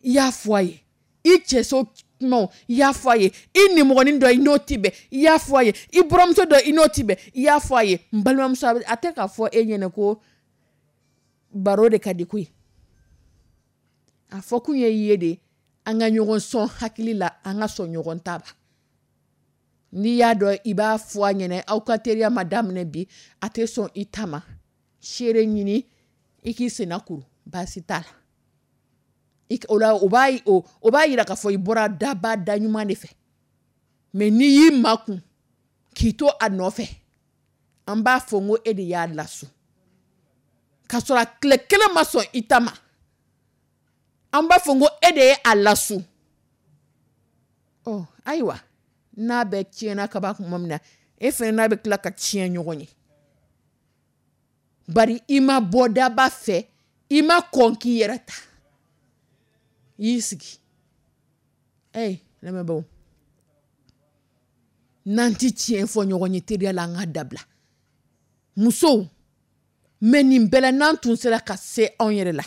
i y'a fɔ a ye, i cɛ so kumaw i y'a fɔ a ye, i nimɔgɔnin dɔ i n'o ti bɛn, i y'a fɔ a ye, i buranmuso dɔ i n'o ti bɛn, i y'a fɔ a ye. N balimamuso, a tɛ k'a fɔ e ɲɛna ko baro de ka di koyi. A fɔ kun ye i ye de, an ka ɲɔgɔn sɔn hakili la, an ka sɔn ɲɔgɔn ta ba. N'i y'a dɔn i b'a fɔ a ɲɛna, aw ka teriya ma daminɛ bi, a tɛ sɔn i ta ma, seere ɲini i k'i senna kuru, baasi t'a la. O la o b'a yira k'a fɔ i bɔra daba da ɲuman de fɛ. Mais n'i y'i makun k'i to a nɔfɛ, an b'a fɔ n ko e de y'a lasu, k'a sɔrɔ a tile kelen ma sɔn i ta ma, an b'a fɔ n ko e de ye a lasu. Ɔ ayiwa, n'a bɛ tiɲɛna kaba kuma min na, e fana n'a bɛ tila ka tiɲɛ ɲɔgɔn ye, bari i ma bɔ daba fɛ, i ma kɔn k'i yɛrɛ ta, i y'i sigi. Lamɛnbaaw, n'an ti tiɲɛ fɔ ɲɔgɔn ye teriya la, an ka dabila. Musow, mɛ nin bɛɛ la, n'an tun sera ka se anw yɛrɛ la,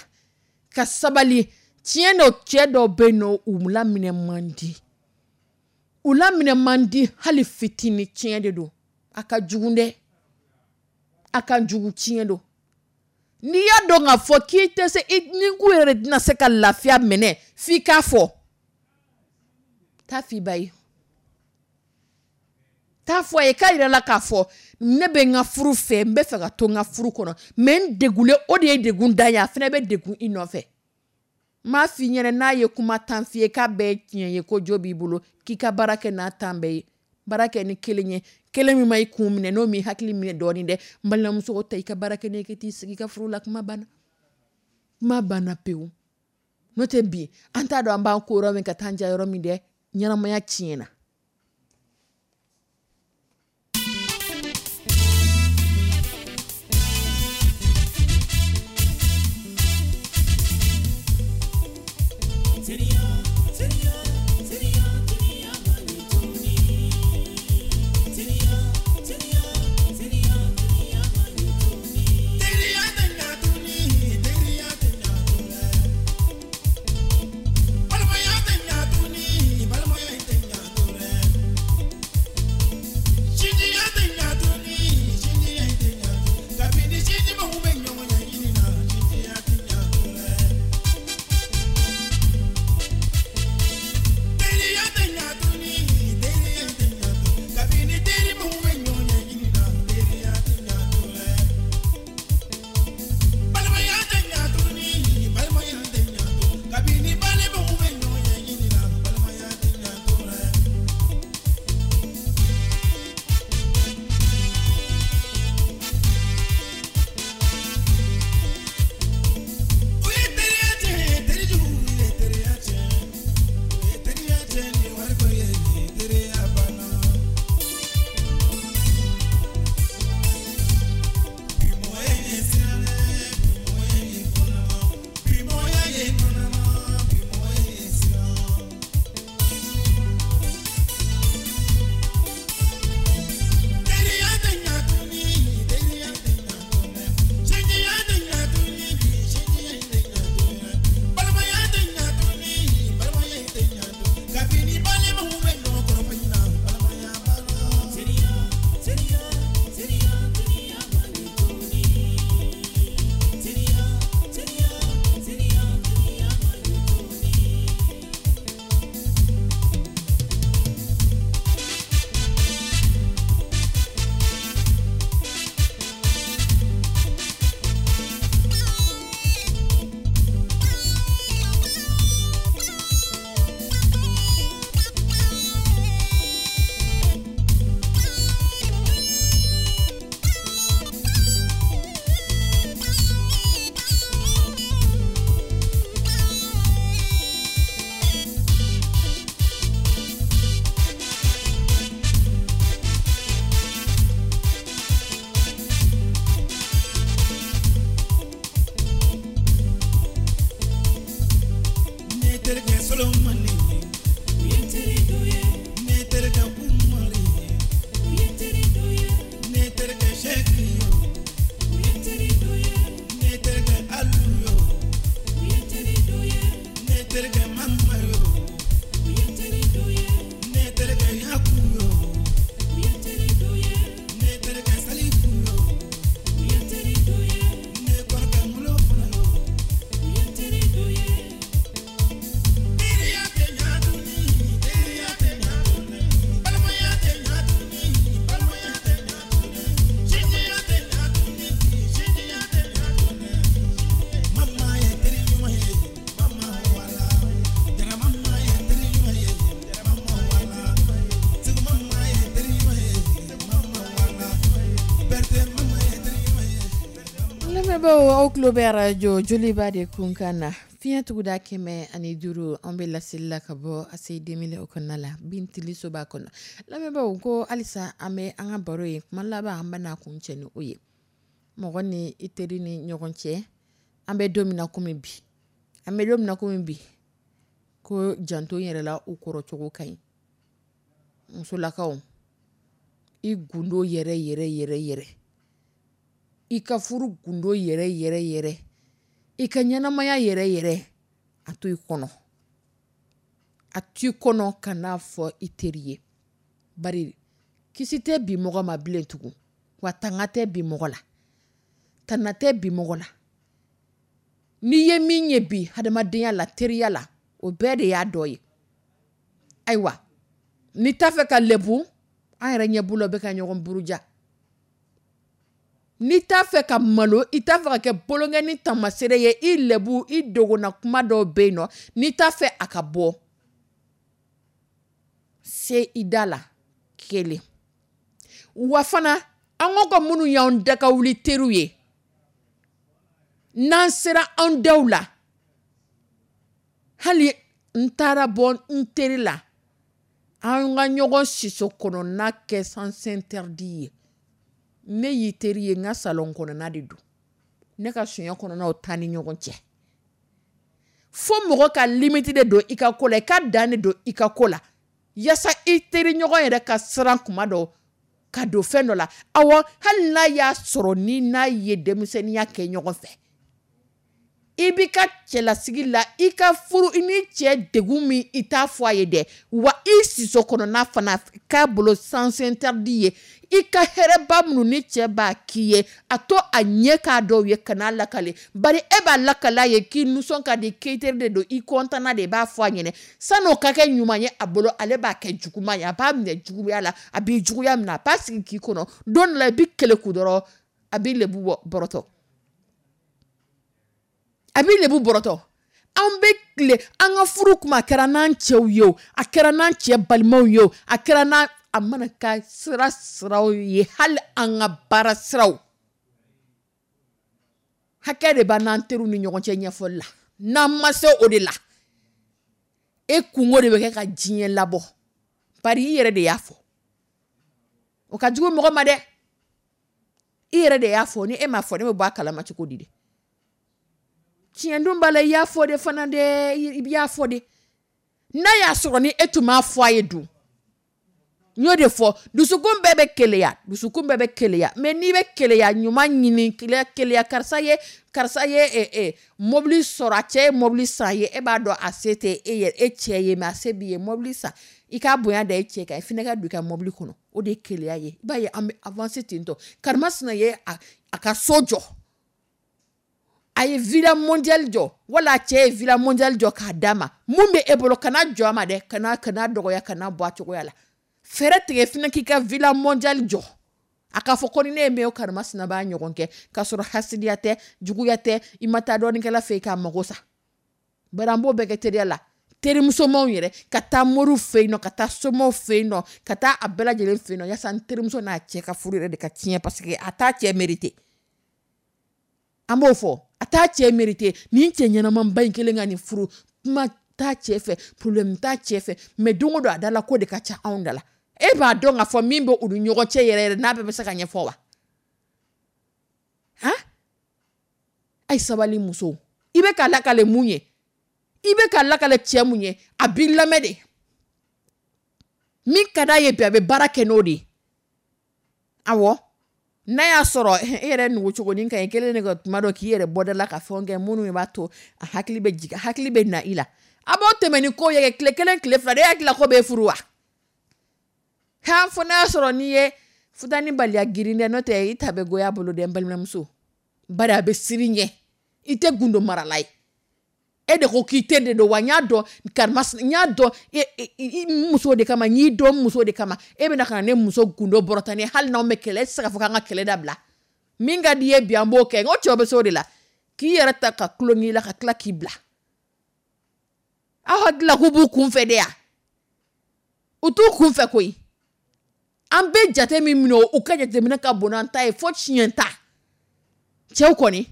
ka sabali. Tiɲɛ dɔ, cɛ dɔw bɛ yen nɔ, u laminɛ man di, u laminɛ man di hali fitinin. Tiɲɛ de don, a ka jugu dɛ, a ka jugu, tiɲɛ don. N'i y'a dɔn k'a fɔ k'i tɛ se, i ni k'u yɛrɛ tɛna se ka lafiya minɛ f'i k'a fɔ, taa f'i ba ye, taa fɔ a ye, k'a yira la k'a fɔ ne bɛ n ka furu fɛ, n bɛ fɛ ka to n ka furu kɔnɔ, mais n degunlen, o de ye degun dan ye, a fana bɛ degun i nɔfɛ. N m'a f'i ɲɛna, n'a ye kuma tan f'i ye k'a bɛɛ ye tiɲɛ ye, ko jo b'i bolo, k'i ka baara kɛ n'a tan bɛɛ ye, baara kɛ ni kelen ye, kelen min ma i kun minɛ, n'o m'i hakili minɛ dɔɔnin dɛ. N balimamuso, ta i ka baara kɛ n'e t'i sigi i ka furu la, kuma banna, kuma banna pewu. N'o tɛ bi an t'a dɔn an b'an ko yɔrɔ min ka taa an ja yɔrɔ min dɛ, ɲɛnamaya tiɲɛna. Lamɛnbaaw, aw tulo bɛ arajo Joliba de kunkan na, fiɲɛ tuguda 105. An bɛ laseli la ka bɔ ACI 2000 o kɔnɔna la, Bintili soba kɔnɔ. Lamɛnbaaw, ko halisa an bɛ an ka baro ye. Kuma laban, an bɛna kun cɛ ni o ye, mɔgɔ ni i teri ni ɲɔgɔn cɛ. An bɛ don min na komi bi, an bɛ don min na komi bi, ko janto yɛrɛ la, u kɔrɔ cogo ka ɲi. Musolakaw, i gundo yɛrɛ yɛrɛ yɛrɛ yɛrɛ, i ka furu gundo yɛrɛ yɛrɛ yɛrɛ, i ka ɲɛnamaya yɛrɛ yɛrɛ, a to i kɔnɔ, a to i kɔnɔ, ka n'a fɔ i teri ye. Bari kisi tɛ bi mɔgɔ ma bilen tugun, wa tanga tɛ bi mɔgɔ la, tana tɛ bi mɔgɔ la. N'i ye min ye bi hadamadenya la, teriya la, o bɛɛ de y'a dɔ ye. Ayiwa, n'i t'a fɛ ka lɛbu, an yɛrɛ ɲɛ b'u la, bɛ ka ɲɔgɔn buruja. N'i t'a fɛ ka malo, i t'a fɛ ka kɛ bolonkɛni taamasere ye, i lɛbu, i dogona kuma dɔw bɛ yen nɔ, n'i t'a fɛ a ka bɔ, se i da la kelen. Wa fana, an ko minnu y'an da ka wuli teriw ye, n'an sera an daw la, hali n taara bɔ n teri la, an ka ɲɔgɔn siso kɔnɔna kɛ sens interdit ye. Ne y'i teri ye, n ka salon kɔnɔna de don, ne ka sonya kɔnɔnaw taa ni ɲɔgɔn cɛ. Fo mɔgɔ ka limite de don i ka ko la, i ka dan de don i ka ko la, yaasa i teri ɲɔgɔn yɛrɛ ka siran kuma dɔ ka don fɛn dɔ la. Awɔ, hali n'a y'a sɔrɔ ni n'a ye denmisɛnninya kɛ ɲɔgɔn fɛ, i b'i ka cɛlasigi la, i ka furu, i ni cɛ degun min, i t'a fɔ a ye dɛ. Wa i siso kɔnɔna fana k'a bolo sens interdit ye. I ka hɛrɛba minnu ni cɛ b'a k'i ye, a to a ɲɛ k'a dɔw ye, kan'a lakale. Bari e b'a lakale a ye k'i nisɔn ka di, k'i teri de don, i kɔntanna de, i b'a fɔ a ɲɛnɛ. San'o ka kɛ ɲuman ye a bolo, ale b'a kɛ juguman ye, a b'a minɛ juguya la, a b'i juguya minɛ, a b'a sigi k'i kɔnɔ. Don dɔ la, i b'i keleku dɔrɔn, a b'i lebu bɔ bɔrɔtɔ, a b'i lebu bɔrɔtɔ. An bɛ tile an ka furu kuma, a kɛra n'an cɛw ye o, a kɛra n'an cɛ balimaw ye o, a kɛra n'an, a mana ka sira siraw ye, hali an ka baara siraw, hakɛ de b'an n'an teriw ni ɲɔgɔn cɛ ɲɛfɔli la. N'an ma se o de la, e kungo de bɛ kɛ ka diɲɛ labɔ. Bari i yɛrɛ de y'a fɔ, o ka jugu mɔgɔ ma dɛ. I yɛrɛ de y'a fɔ. Ni e m'a fɔ, ne bɛ bɔ a kalama cogo di de? Tiɲɛ dun b'a la, i y'a fɔ de fana dɛ, i y'a fɔ de. N'a y'a sɔrɔ ni e tun m'a fɔ a ye dun? N y'o de fɔ, dusukun bɛɛ bɛ keleya, dusukun bɛɛ bɛ keleya. Mais n'i bɛ keleya ɲuman ɲini, keleya keleya, karisa ye, karisa ye mobili sɔrɔ, a cɛ ye mobili san ye, e b'a dɔn a se tɛ e yɛrɛ, e cɛ ye, mais a se b'i ye, mobili san, i k'a bonya da i cɛ kan, i fana ka don i ka mobili kɔnɔ, o de ye keleya ye. I b'a ye, an bɛ avancer ten tɔ. Karimasina ye a ka so jɔ, a ye villa mondiale jɔ, wala a cɛ ye villa mondiale jɔ k'a d'a ma. Mun bɛ e bolo? Kana jɔ a ma dɛ, kana dɔgɔya, kana bɔ a cogoya la. Fɛɛrɛ tigɛ fana k'i ka villa mondiale jɔ, a k'a fɔ ko ni ne ye min ye, karimasina b'a ɲɔgɔn kɛ, k'a sɔrɔ hasidiya tɛ, juguya tɛ, i ma taa dɔɔninkɛla fɛ yen k'a mago sa. Bari an b'o bɛɛ kɛ teriya la, terimusomanw yɛrɛ, ka taa moriw fɛ yen nɔ, ka taa somaw fɛ yen nɔ, ka taa a bɛɛ lajɛlen fɛ yen nɔ, yaasa n terimuso n'a cɛ ka furu yɛrɛ de ka tiɲɛ, parce que a t'a cɛ mérité. An b'o fɔ, a t'a cɛ mérité. Nin cɛ ɲɛnamanba in kelen ka nin furu, kuma t'a cɛ fɛ, problème t'a cɛ fɛ, mais don o don a da la ko de ka ca anw da la. E b'a dɔn k'a fɔ min bɛ u ni ɲɔgɔn cɛ yɛrɛ yɛrɛ, n'a bɛɛ bɛ se ka ɲɛfɔ wa? Han, ayi, sabali muso. I bɛ ka lakale mun ye? I bɛ ka lakale cɛ mun ye? A b'i lamɛn de. Min ka d'a ye bi, a bɛ baara kɛ n'o de ye. Awɔ, n'a y'a sɔrɔ e yɛrɛ nugu cogonin ka ɲi kelen de ka tuma dɔ k'i yɛrɛ bɔda la ka fɛnw kɛ minnu b'a to a hakili bɛ jigin, hakili bɛ na i la. A b'o tɛmɛ ni ko ye tile kelen, tile 2 de, e hakili la ko b'e furu wa? Han, fo n'a y'a sɔrɔ n'i ye futani baliya girin dɛ, n'o tɛ i ta bɛ goya bolo dɛ, n balimamuso. Bari a bɛ siran ɲɛ, i tɛ gundo marala ye. E de ko k'i teri de don wa? N y'a dɔn karima, n y'a dɔn i muso de kama, n y'i dɔn muso de kama. E bɛna ka na ne muso gundo bɔrɔta ni, hali n'anw bɛ kɛlɛ, e tɛ se k'a fɔ k'an ka kɛlɛ dabila. Min ka di i ye bi, an b'o kɛ. N ko cɛw bɛ se o de la, k'i yɛrɛ ta ka tulon k'i la, ka tila k'i bila. Aw hakili la k'u b'u kun fɛ de ya? U t'u kun fɛ koyi. An bɛ jate min minɛ, u ka jateminɛ ka bon n'an ta ye fo tiɲɛ ta. Cɛw kɔni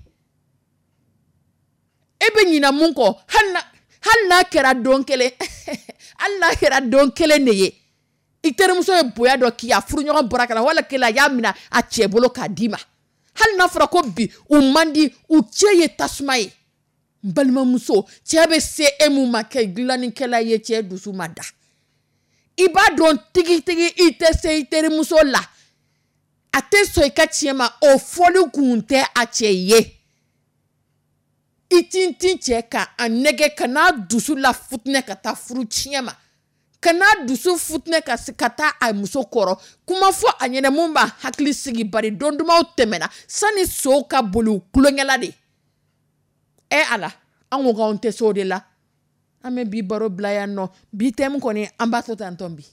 E bɛ ɲina mun kɔ, hali n'a kɛra don kelen, hali n'a kɛra don kelen de ye, i terimuso ye bonya dɔ k'i ye, a furuɲɔgɔn bɔra ka na, wala kelen a y'a minɛ a cɛ bolo k'a d'i ma, hali n'a fɔra ko bi u man di, u cɛ ye tasuma ye. N balimamuso, cɛ bɛ se e mun ma kɛ dilannikɛla ye, cɛ dusu ma da. I b'a dɔn tigitigi i tɛ se i terimuso la, a tɛ sɔn i ka tiɲɛ ma, o fɔli kun tɛ a cɛ ye. I tintin cɛ kan, a nɛgɛ ka n'a dusu la futinɛ ka taa furu tiɲɛ ma, ka n'a dusu futinɛ ka taa a muso kɔrɔ, kuma fɔ a ɲɛna mun b'a hakili sigi, bari don dumanw tɛmɛna sani sow ka boli kulonkɛla de. Ɛ Ala, an ko k'anw tɛ se o de la. An bɛ bi baro bila yan nɔ. Bi thème kɔni an b'a to tan tɔn bi.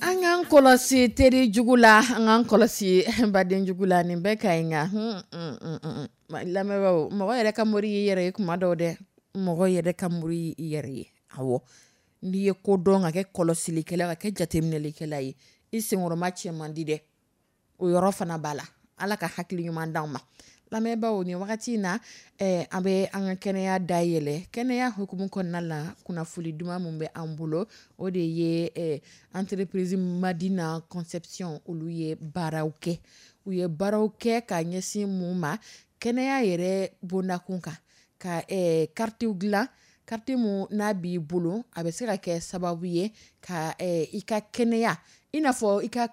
An k'an kɔlɔsi teri jugu la, an k'an kɔlɔsi baden jugu la, nin bɛɛ ka ɲi nka lamɛnbaaw, mɔgɔ yɛrɛ ka mori y'i yɛrɛ ye kuma dɔw dɛ, mɔgɔ yɛrɛ ka mori y'i yɛrɛ ye. Awɔ, n'i ye ko dɔn ka kɛ kɔlɔsilikɛla ka kɛ jateminɛlikɛla ye, i senkɔrɔma cɛ man di dɛ, o yɔrɔ fana b'a la. Ala ka hakili ɲuman d'anw ma. Lamɛnbaaw, nin wagati in na, an bɛ an ka kɛnɛya dayɛlɛ. Kɛnɛya hukumu kɔnɔna la, kunnafoni duman min bɛ an bolo, o de ye entreprise Madina Conception, olu ye baaraw kɛ. U ye baaraw kɛ ka ɲɛsin mun ma? Kɛnɛya yɛrɛ bondakun kan, ka karitiw dilan, kariti mun n'a b'i bolo, a bɛ se ka kɛ sababu ye ka i ka kɛnɛya, i n'a fɔ i ka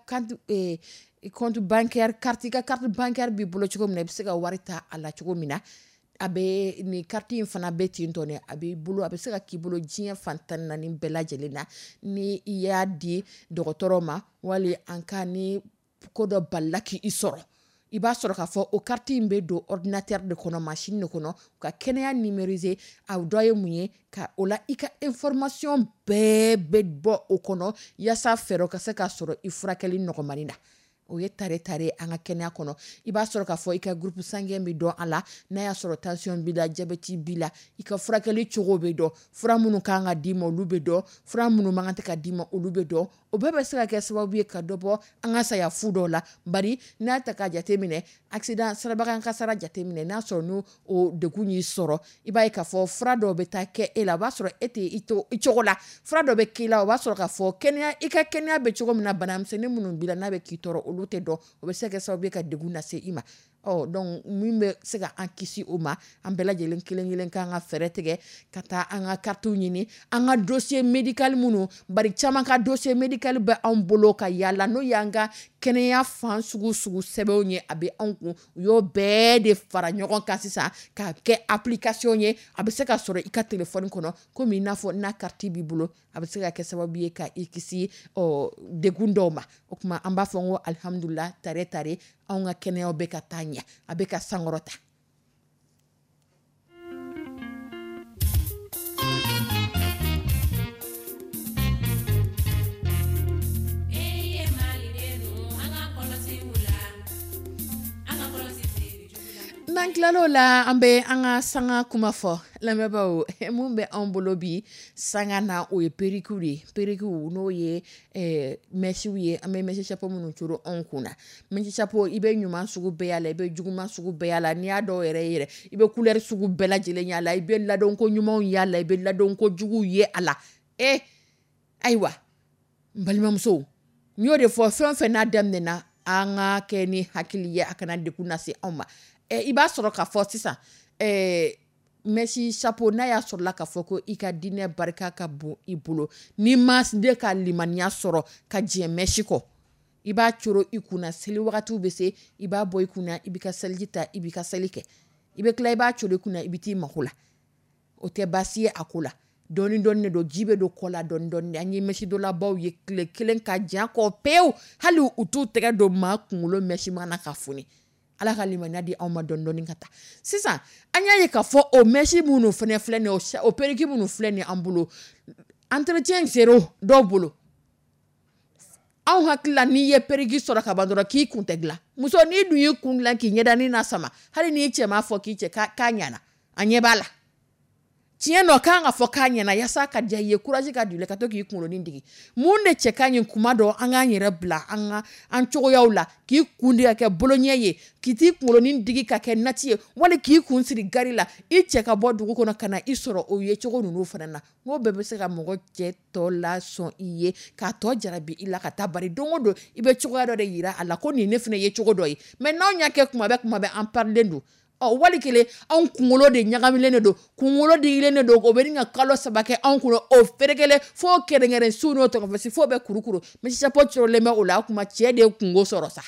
compte bancaire carte, i ka carte bancaire b'i bolo cogo min na, i bɛ se ka wari ta a la cogo min na, a bɛ nin carte in fana bɛ ten tɔ, a b'i bolo, a bɛ se ka k'i bolo diɲɛ fan 14 bɛɛ lajɛlen na. Ni i y'a di dɔgɔtɔrɔ ma, wali an ka ni ko dɔ balila k'i sɔrɔ, i b'a sɔrɔ k'a fɔ o carte in bɛ don ordinateur de kɔnɔ, machine de kɔnɔ, ka kɛnɛya numériser. A dɔ ye mun ye? Ka o la i ka information bɛɛ bɛ bɔ o kɔnɔ, yaasa fɛɛrɛ ka se ka sɔrɔ i furakɛli nɔgɔmani na. O ye tare tare an ka kɛnɛya kɔnɔ. I b'a sɔrɔ k'a fɔ i ka groupe sanguin bɛ dɔn a la, n'a y'a sɔrɔ tension b'i la, diabète b'i la, i ka furakɛli cogo bɛ dɔn, fura minnu kan ka d'i ma olu bɛ dɔn, fura minnu man kan tɛ ka d'i ma olu bɛ dɔn. O bɛɛ bɛ se ka kɛ sababu ye ka dɔ bɔ an ka saya fu dɔw la. Bari n'a ta ka jateminɛ, accident, sirabakan kasara jateminɛ, n'a sɔrɔ n'o o degun y'i sɔrɔ, i b'a ye k'a fɔ fura dɔw bɛ taa kɛ e la, o b'a sɔrɔ e tɛ i to i cogo la. Fura dɔ bɛ k'i la, o b'a sɔrɔ k'a fɔ kɛnɛya, i ka kɛnɛya bɛ cogo min na, banamisɛnnin minnu b'i la n'a bɛ k'i tɔɔrɔ, olu tɛ dɔn. O bɛ se ka kɛ sababu ye ka degun lase i ma. Ɔ donc min bɛ se ka an kisi o ma, an bɛɛ lajɛlen kelen kelen k'an ka fɛɛrɛ tigɛ ka taa an ka kartiw ɲini, an ka dossier médical minnu, bari caman ka dossier médical bɛ anw bolo ka yaala, n'o y'an ka kɛnɛya fan sugu sugu sɛbɛnw ye, a bɛ anw kun. U y'o bɛɛ de fara ɲɔgɔn kan sisan k'a kɛ application ye, a bɛ se ka sɔrɔ i ka téléphone kɔnɔ, komi i n'a fɔ n'a carte b'i bolo, a bɛ se ka kɛ sababu ye ka i kisi ɔ degun dɔw ma. O tuma an b'a fɔ n ko alihamudulila, tare tare, anw ka kɛnɛyaw bɛ ka taa ɲɛ, a bɛ ka sankɔrɔta. N'an tilal'o la, an bɛ an ka sanga kuma fɔ. Lamɛnbaaw, mun bɛ anw bolo bi sanga na, o ye perruque de ye. Perruque, n'o ye mèches ye, an bɛ mèche chapeau minnu coro anw kun na. Mèche chapeau, i bɛ ɲuman sugu bɛɛ y'a la, i bɛ juguman sugu bɛɛ y'a la. N'i y'a dɔw yɛrɛ yɛrɛ, i bɛ couleur sugu bɛɛ lajɛlen y'a la, i bɛ ladonko ɲumanw y'a la, i bɛ ladonko juguw ye a la. Ayiwa, n balimamusow, n y'o de fɔ, fɛn o fɛn n'a daminɛna, an ka kɛ ni hakili ye, a kana degun lase anw ma. I b'a sɔrɔ k'a fɔ sisan, mèche chapeau, n'a y'a sɔrɔla k'a fɔ ko i ka diinɛ barika ka bon i bolo, n'i ma de ka limaniya sɔrɔ ka jɛ mèche kɔ, i b'a coro i kunna, seli wagatiw bɛ se, i b'a bɔ i kunna, i b'i ka seliji ta, i b'i ka seli kɛ, i bɛ tila, i b'a coro i kunna, i bɛ t'i mako la. O tɛ baasi ye a ko la. Dɔɔni dɔɔni de don, ji bɛ don kɔ la dɔɔni dɔɔni. An ye mèche donlabaw ye tile kelen ka jan kɔ pewu, hali u t'u tɛgɛ don maa kunkolo mèche mana ka foni. Ala ka limaniya di anw ma dɔɔni dɔɔni ka taa. Sisan an y'a ye k'a fɔ o mèche minnu fana filɛ nin ye, o perruque minnu filɛ nin ye an bolo, entretien zéro dɔw bolo. Anw hakili la, n'i ye perruque sɔrɔ ka ban dɔrɔn k'i kun tɛ dilan. Muso, n'i dun y'i kun dilan k'i ɲɛdanin na sama, hali n'i cɛ m'a fɔ k'i cɛ k'a ɲana, a ɲɛ b'a la. Tiɲɛ nɔ kan ka fɔ k'a ɲɛna, yaasa ka diya i ye, courage ka don i la ka to k'i kunkolonin digi. Mun de cɛ ka ɲi? Kuma dɔ an k'an yɛrɛ bila an ka an cogoyaw la, k'i kun de ka kɛ boloɲɛ ye, k'i t'i kunkolonin digi ka kɛ nati ye, wali k'i kun siri gari la, i cɛ ka bɔ dugu kɔnɔ ka na i sɔrɔ o ye cogo ninnu fana na. N ko bɛɛ bɛ se ka mɔgɔ cɛ tɔ lasɔn i ye, k'a tɔ jarabi i la ka taa. Bari don o don i bɛ cogoya dɔ de yira a la ko nin ne fana ye cogo dɔ ye. Mais n'anw y'a kɛ kuma bɛɛ kuma bɛɛ, an parilen don. Ɔ wali kelen, anw kunkolo de ɲagamilen de don, kunkolo digilen de don, o bɛ ka kalo 3 kɛ anw kunna, o ferekelen fo kɛrɛnkɛrɛn su n'o tɔgɔfɛsi fo bɛ kurukuru. Mèche chapeau corolen bɛ o la. O tuma cɛ de ye kungo sɔrɔ sa,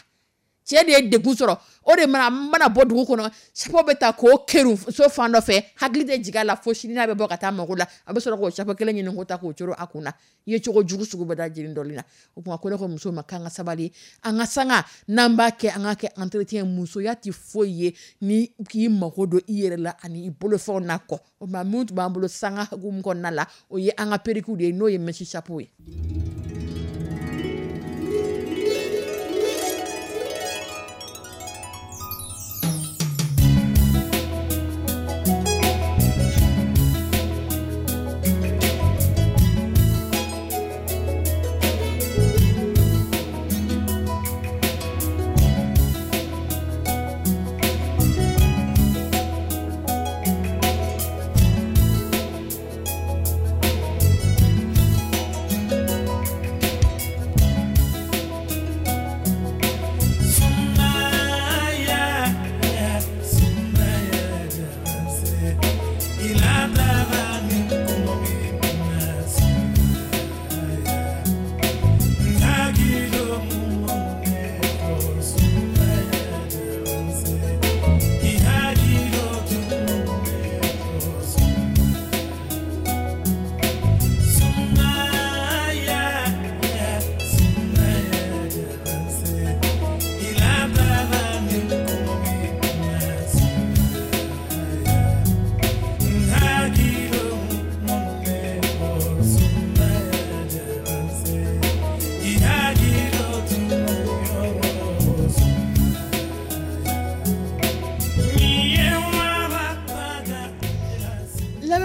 cɛ de ye degun sɔrɔ. O de mana bɔ dugu kɔnɔ, chapeau bɛ ta k'o kerun so fan dɔ fɛ, hakili tɛ jigin a la fo sini n'a bɛ bɔ ka taa mago la, a bɛ sɔrɔ k'o chapeau kelen ɲini k'o ta k'o coro a kun na. I ye cogo jugu sugu bɛɛ da jeni dɔɔnin na. O tuma ko ne ko muso ma k'an ka sabali, an ka sanga n'an b'a kɛ, an ka kɛ entretien. Musoya tɛ foyi ye ni k'i mago don i yɛrɛ la ani i bolofɛnw na kɔ. O tuma mun tun b'an bolo sanga hukumu kɔnɔna la, o ye an ka perruque de ye, n'o ye mèche chapeau ye.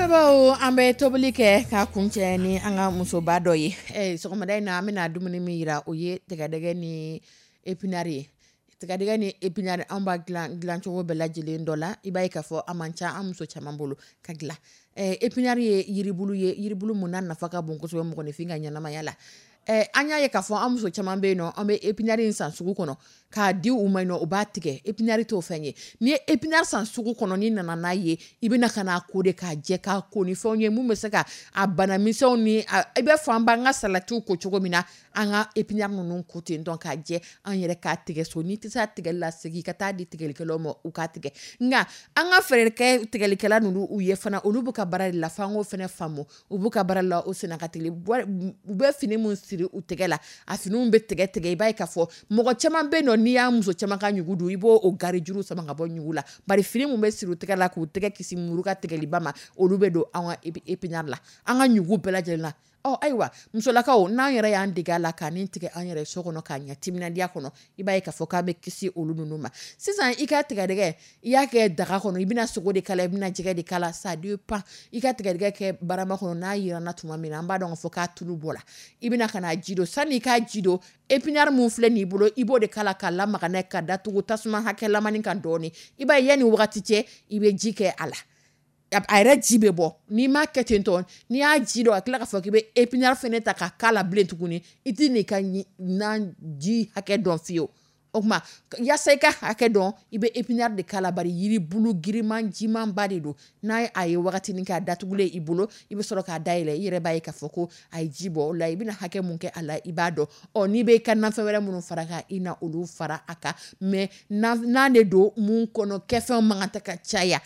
Lamɛnbaaw, an bɛ tobili kɛ k'a kuncɛ ni an ka musoba dɔ ye. Sɔgɔmada in na, an bɛna dumuni min yira, o ye tigadɛgɛ ni épinard ye. Tigadɛgɛ ni épinard, an b'a dilan dilancogo bɛɛ lajɛlen dɔ la. I b'a ye k'a fɔ a man ca an muso caman bolo ka dilan. Épinard ye yiribulu ye, yiribulu mun n'a nafa ka bon kosɛbɛ mɔgɔninfin ka ɲɛnamaya la. An y'a ye k'a fɔ an muso caman bɛ yen nɔ, an bɛ épinard in san sugu kɔnɔ k'a di u ma yen nɔ, u b'a tigɛ. Épinard t'o fɛn ye. N'i ye épinard san sugu kɔnɔ, n'i nana n'a ye, i bɛna ka n'a ko de k'a jɛ, k'a ko ni fɛnw ye mun bɛ se ka a banamisɛnw ni i bɛ fɔ an b'an ka salatiw ko cogo min na, an ka épinard ninnu ko ten tɔ k'a jɛ, an yɛrɛ k'a tigɛ so. N'i tɛ se a tigɛli la, segin ka taa di tigɛlikɛlaw ma, u k'a tigɛ. Nka an ka fɛɛrɛ kɛ tigɛlikɛla ninnu u ye fana, olu b'u ka baara de la, f'an k'o fana faamu. U b'u ka baara la, o senna ka teli. U bɛ fini mun siri u tɛgɛ la, a finiw bɛ tigɛ tigɛ. I b'a ye k'a fɔ mɔgɔ caman bɛ yen nɔ, n'i y'a muso caman ka ɲugu dun, i b'o o gari juru sama ka bɔ ɲugu la, bari fini mun bɛ siri u tɛgɛ la k'u tɛgɛ kisi muru ka tigɛliba ma, olu bɛ don an ka épinard la, an ka ɲugu bɛɛ lajɛlen na. Ɔ ayiwa, musolakaw, n'an yɛrɛ y'an dege a la k'a nin tigɛ an yɛrɛ so kɔnɔ k'a ɲɛ timinandiya kɔnɔ, i b'a ye k'a fɔ k'a bɛ kisi olu ninnu ma. Sisan i ka tigadɛgɛ, i y'a kɛ daga kɔnɔ, i bɛna sogo de k'a la, i bɛna jɛgɛ de k'a la, ça dépend. I ka tigadɛgɛ kɛ barama kɔnɔ, n'a yiranna tuma min na, an b'a dɔn k'a fɔ k'a tulu bɔra, i bɛna ka na ji don. Sani i k'a ji don, épinard mun filɛ nin bolo, i b'o de k'a la k'a lamaga n'a ye, ka datugu tasuma hakɛlamani kan dɔɔni. I b'a ye yanni wagati cɛ, i bɛ ji kɛ a la, a yɛrɛ ji bɛ bɔ. N'i m'a kɛ ten tɔ, n'i y'a ji dɔn, a tila k'a fɔ k'i bɛ épinard fɛnɛ ta ka k'a la bilen tuguni, i ti n'i ka nan ji hakɛ dɔn fiyewu. O tuma, yaasa i ka hakɛ dɔn, i bɛ épinard de k'a la, bari yiribulu giriman jimanba de don. N'a a ye wagatinin kɛ a datugulen i bolo, i bɛ sɔrɔ k'a dayɛlɛ, i yɛrɛ b'a ye k'a fɔ ko a ye ji bɔ o la. I bɛna hakɛ mun kɛ a la, i b'a dɔn. Ɔ n'i bɛ i ka nafɛn wɛrɛ minnu fara kan, i na olu fara a kan. Mais nan de don mun kɔnɔ kɛfɛnw man kan tɛ ka caya.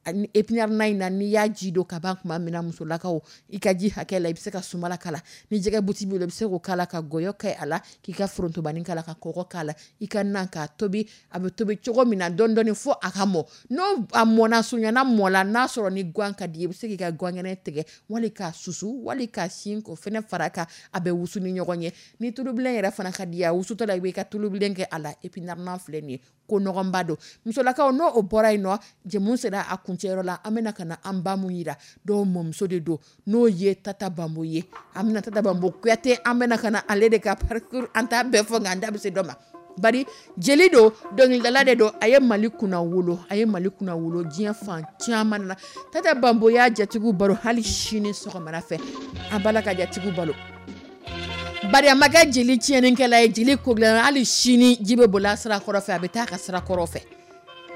Ani épinard na in na, n'i y'a ji don ka ban tuma min na, musolakaw, i ka ji hakɛ la, i bɛ se ka sumala k'a la. Ni jɛgɛ buti b'i bolo, i bɛ se k'o k'a la, ka gɔyɔ kɛ a la, k'i ka forontobani k'a la, ka kɔgɔ k'a la, i ka nan k'a tobi. A bɛ tobi cogo min na dɔɔni dɔɔni fo a ka mɔ. N'o a mɔna, surunyana mɔ la, n'a sɔrɔ ni gan ka di i ye, i bɛ se k'i ka gan kɛnɛ tigɛ, wali k'a susu, wali k'a sin k'o fɛnɛ fara a kan, a bɛ wusu ni ɲɔgɔn ye. Ni tulubilen yɛrɛ fana ka di i ye, a wusutɔ la, i b'i ka tulubilen kɛ a la. Épinard nan filɛ nin ye, ko nɔgɔnba don. Musolakaw, n'o o bɔra yen nɔ, jɛmu sera a kuncɛyɔrɔ la. An bɛna ka na an ba mun yira, dɔw mɔmuso de don, n'o ye Tata Bambo ye. An bɛna Tata Bambo Kuyate, an bɛna ka na ale de ka parcours, an t'a bɛɛ fɔ, nka an da bɛ se dɔ ma. Bari jeli don, dɔnkilidala de don, a ye Mali kunna wolo, a ye Mali kunna wolo diɲɛ fan caman na. Tata Bambo y'a jatigiw baro hali sini sɔgɔmada fɛ, an b'a la ka jatigiw balo, bari a ma kɛ jeli tiɲɛnikɛla ye, jeli ko dilanna. Hali sini ji bɛ boli a sira kɔrɔ fɛ, a bɛ taa a ka sira kɔrɔ fɛ.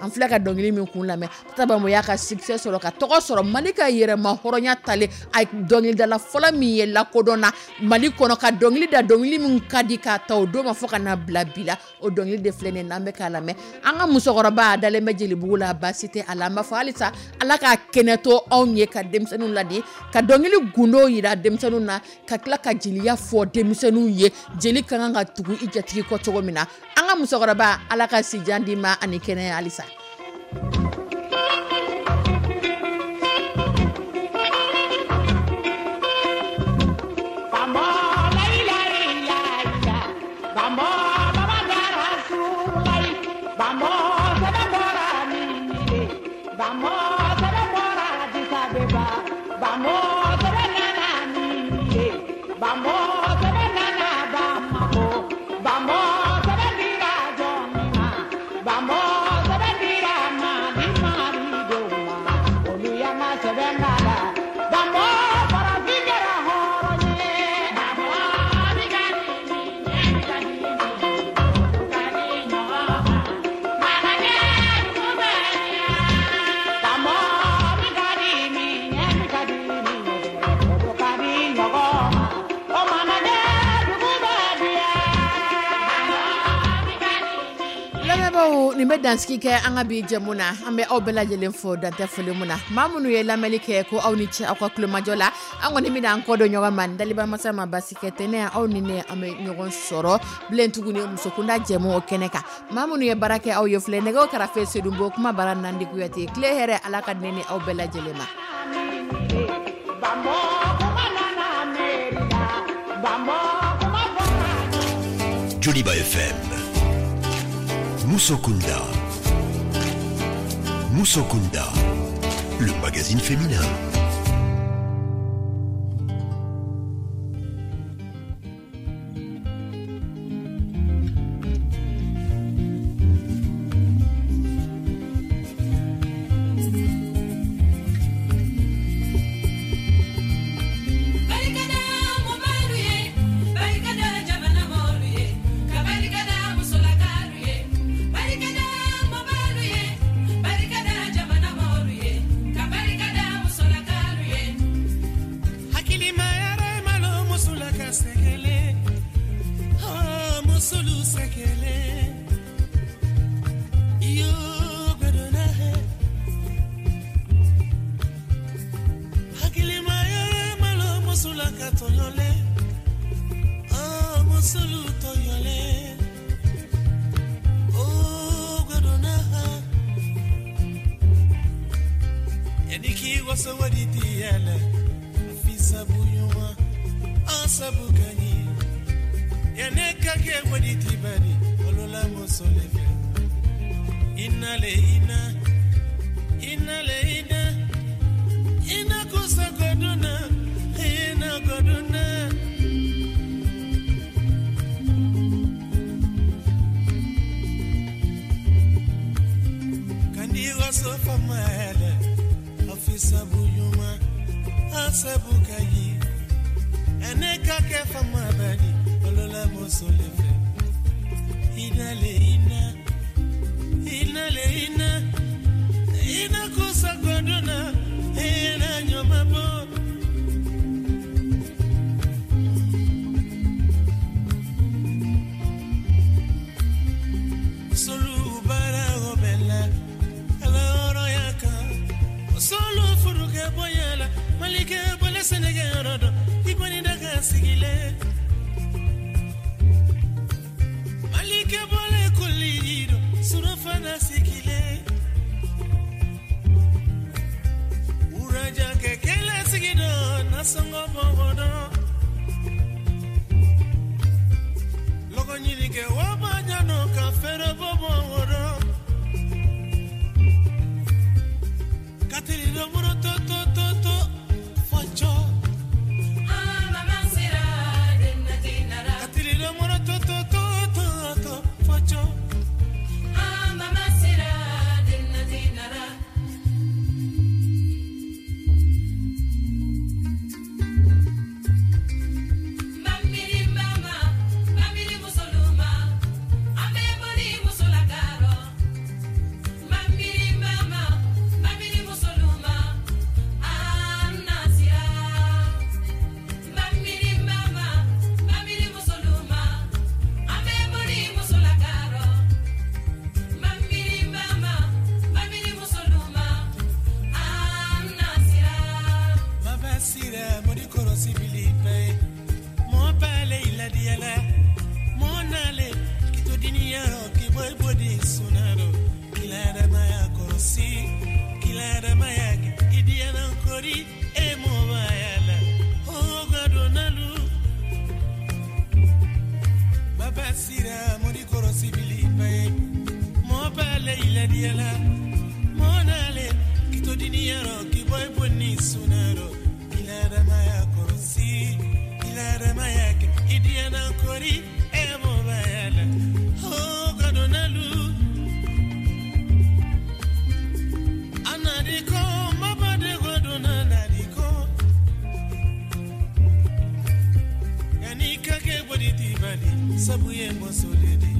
An filɛ ka dɔnkili min kun lamɛn, Tata Bambo y'a ka succès sɔrɔ, ka tɔgɔ sɔrɔ, Mali ka yɛrɛma hɔrɔnya talen, a dɔnkilidala fɔlɔ min ye lakodɔnna Mali kɔnɔ ka dɔnkili da, dɔnkili min ka di k'a ta o don ma fo ka na bila bi la, o dɔnkili de filɛ nin ye n'an bɛ k'a lamɛn. An ka musokɔrɔba a dalen bɛ jelibugu la, baasi tɛ a la. An b'a fɔ halisa Ala ka kɛnɛ to anw ye ka denmisɛnninw ladi, ka dɔnkili gundo yira denmisɛnninw na, ka tila ka jeliya fɔ denmisɛnninw ye, jeli ka kan ka tugu i jatigi kɔ cogo min na. An ka musokɔrɔba, Ala ka sijan d'i ma ani kɛnɛya halisa. Lamɛnbaaw, nin bɛ dansigi kɛ an ka bi jɛmu na. An bɛ aw bɛɛ lajɛlen fo dantɛ foli mun na. Maa minnu ye lamɛnli kɛ, ko aw ni ce aw ka tulomajɔ la. An kɔni bɛna an kɔ don ɲɔgɔn ma, daliba masa ma basi kɛ tɛnɛ, aw ni ne an bɛ ɲɔgɔn sɔrɔ bilen tuguni musokunda jɛmu o kɛnɛ kan. Maa minnu ye baara kɛ aw ye filɛ, nɛgɛw karafe Sedunbo, kuma bara Nandi Kuyate. Tile hɛrɛ, Ala ka ne ni aw bɛɛ lajɛlen ma. Joliba FM. Musokunda. Musokunda. Le magazine féminin. Yani k'i waso wari ti yala fi sabu ɲuman an sabu ka ɲi yanni ka kɛ wari ti bari olola muso le fɛ ina le ina ina le ina ina kusa goduna ina goduna. Kandi waso fama yala sabu ɲuman an sabu ka ɲi ene ka kɛ fama bani olola muso le fɛ ina le ina ina le ina ina kusa goduna ina ɲɔma bɔ. Solu baara o bɛ la ala hɔrɔnya kan. Solo furuke boyala malike bole senege yɔrɔ dɔ i kɔni da ka sigilen malike bole koli dɔ surafana sigilen wuraja kɛ kɛlɛ sigi dɔ nasɔngɔ bɔbɔ dɔ lɔgɔ ɲini kɛ wa ɲanɔ ka fɛrɛ bɔ bɔ o dɔ. Katiri domuro to to to to fɔjɔ. Katiri domuro to to to to to fɔjɔ. Sabu ye muso le di.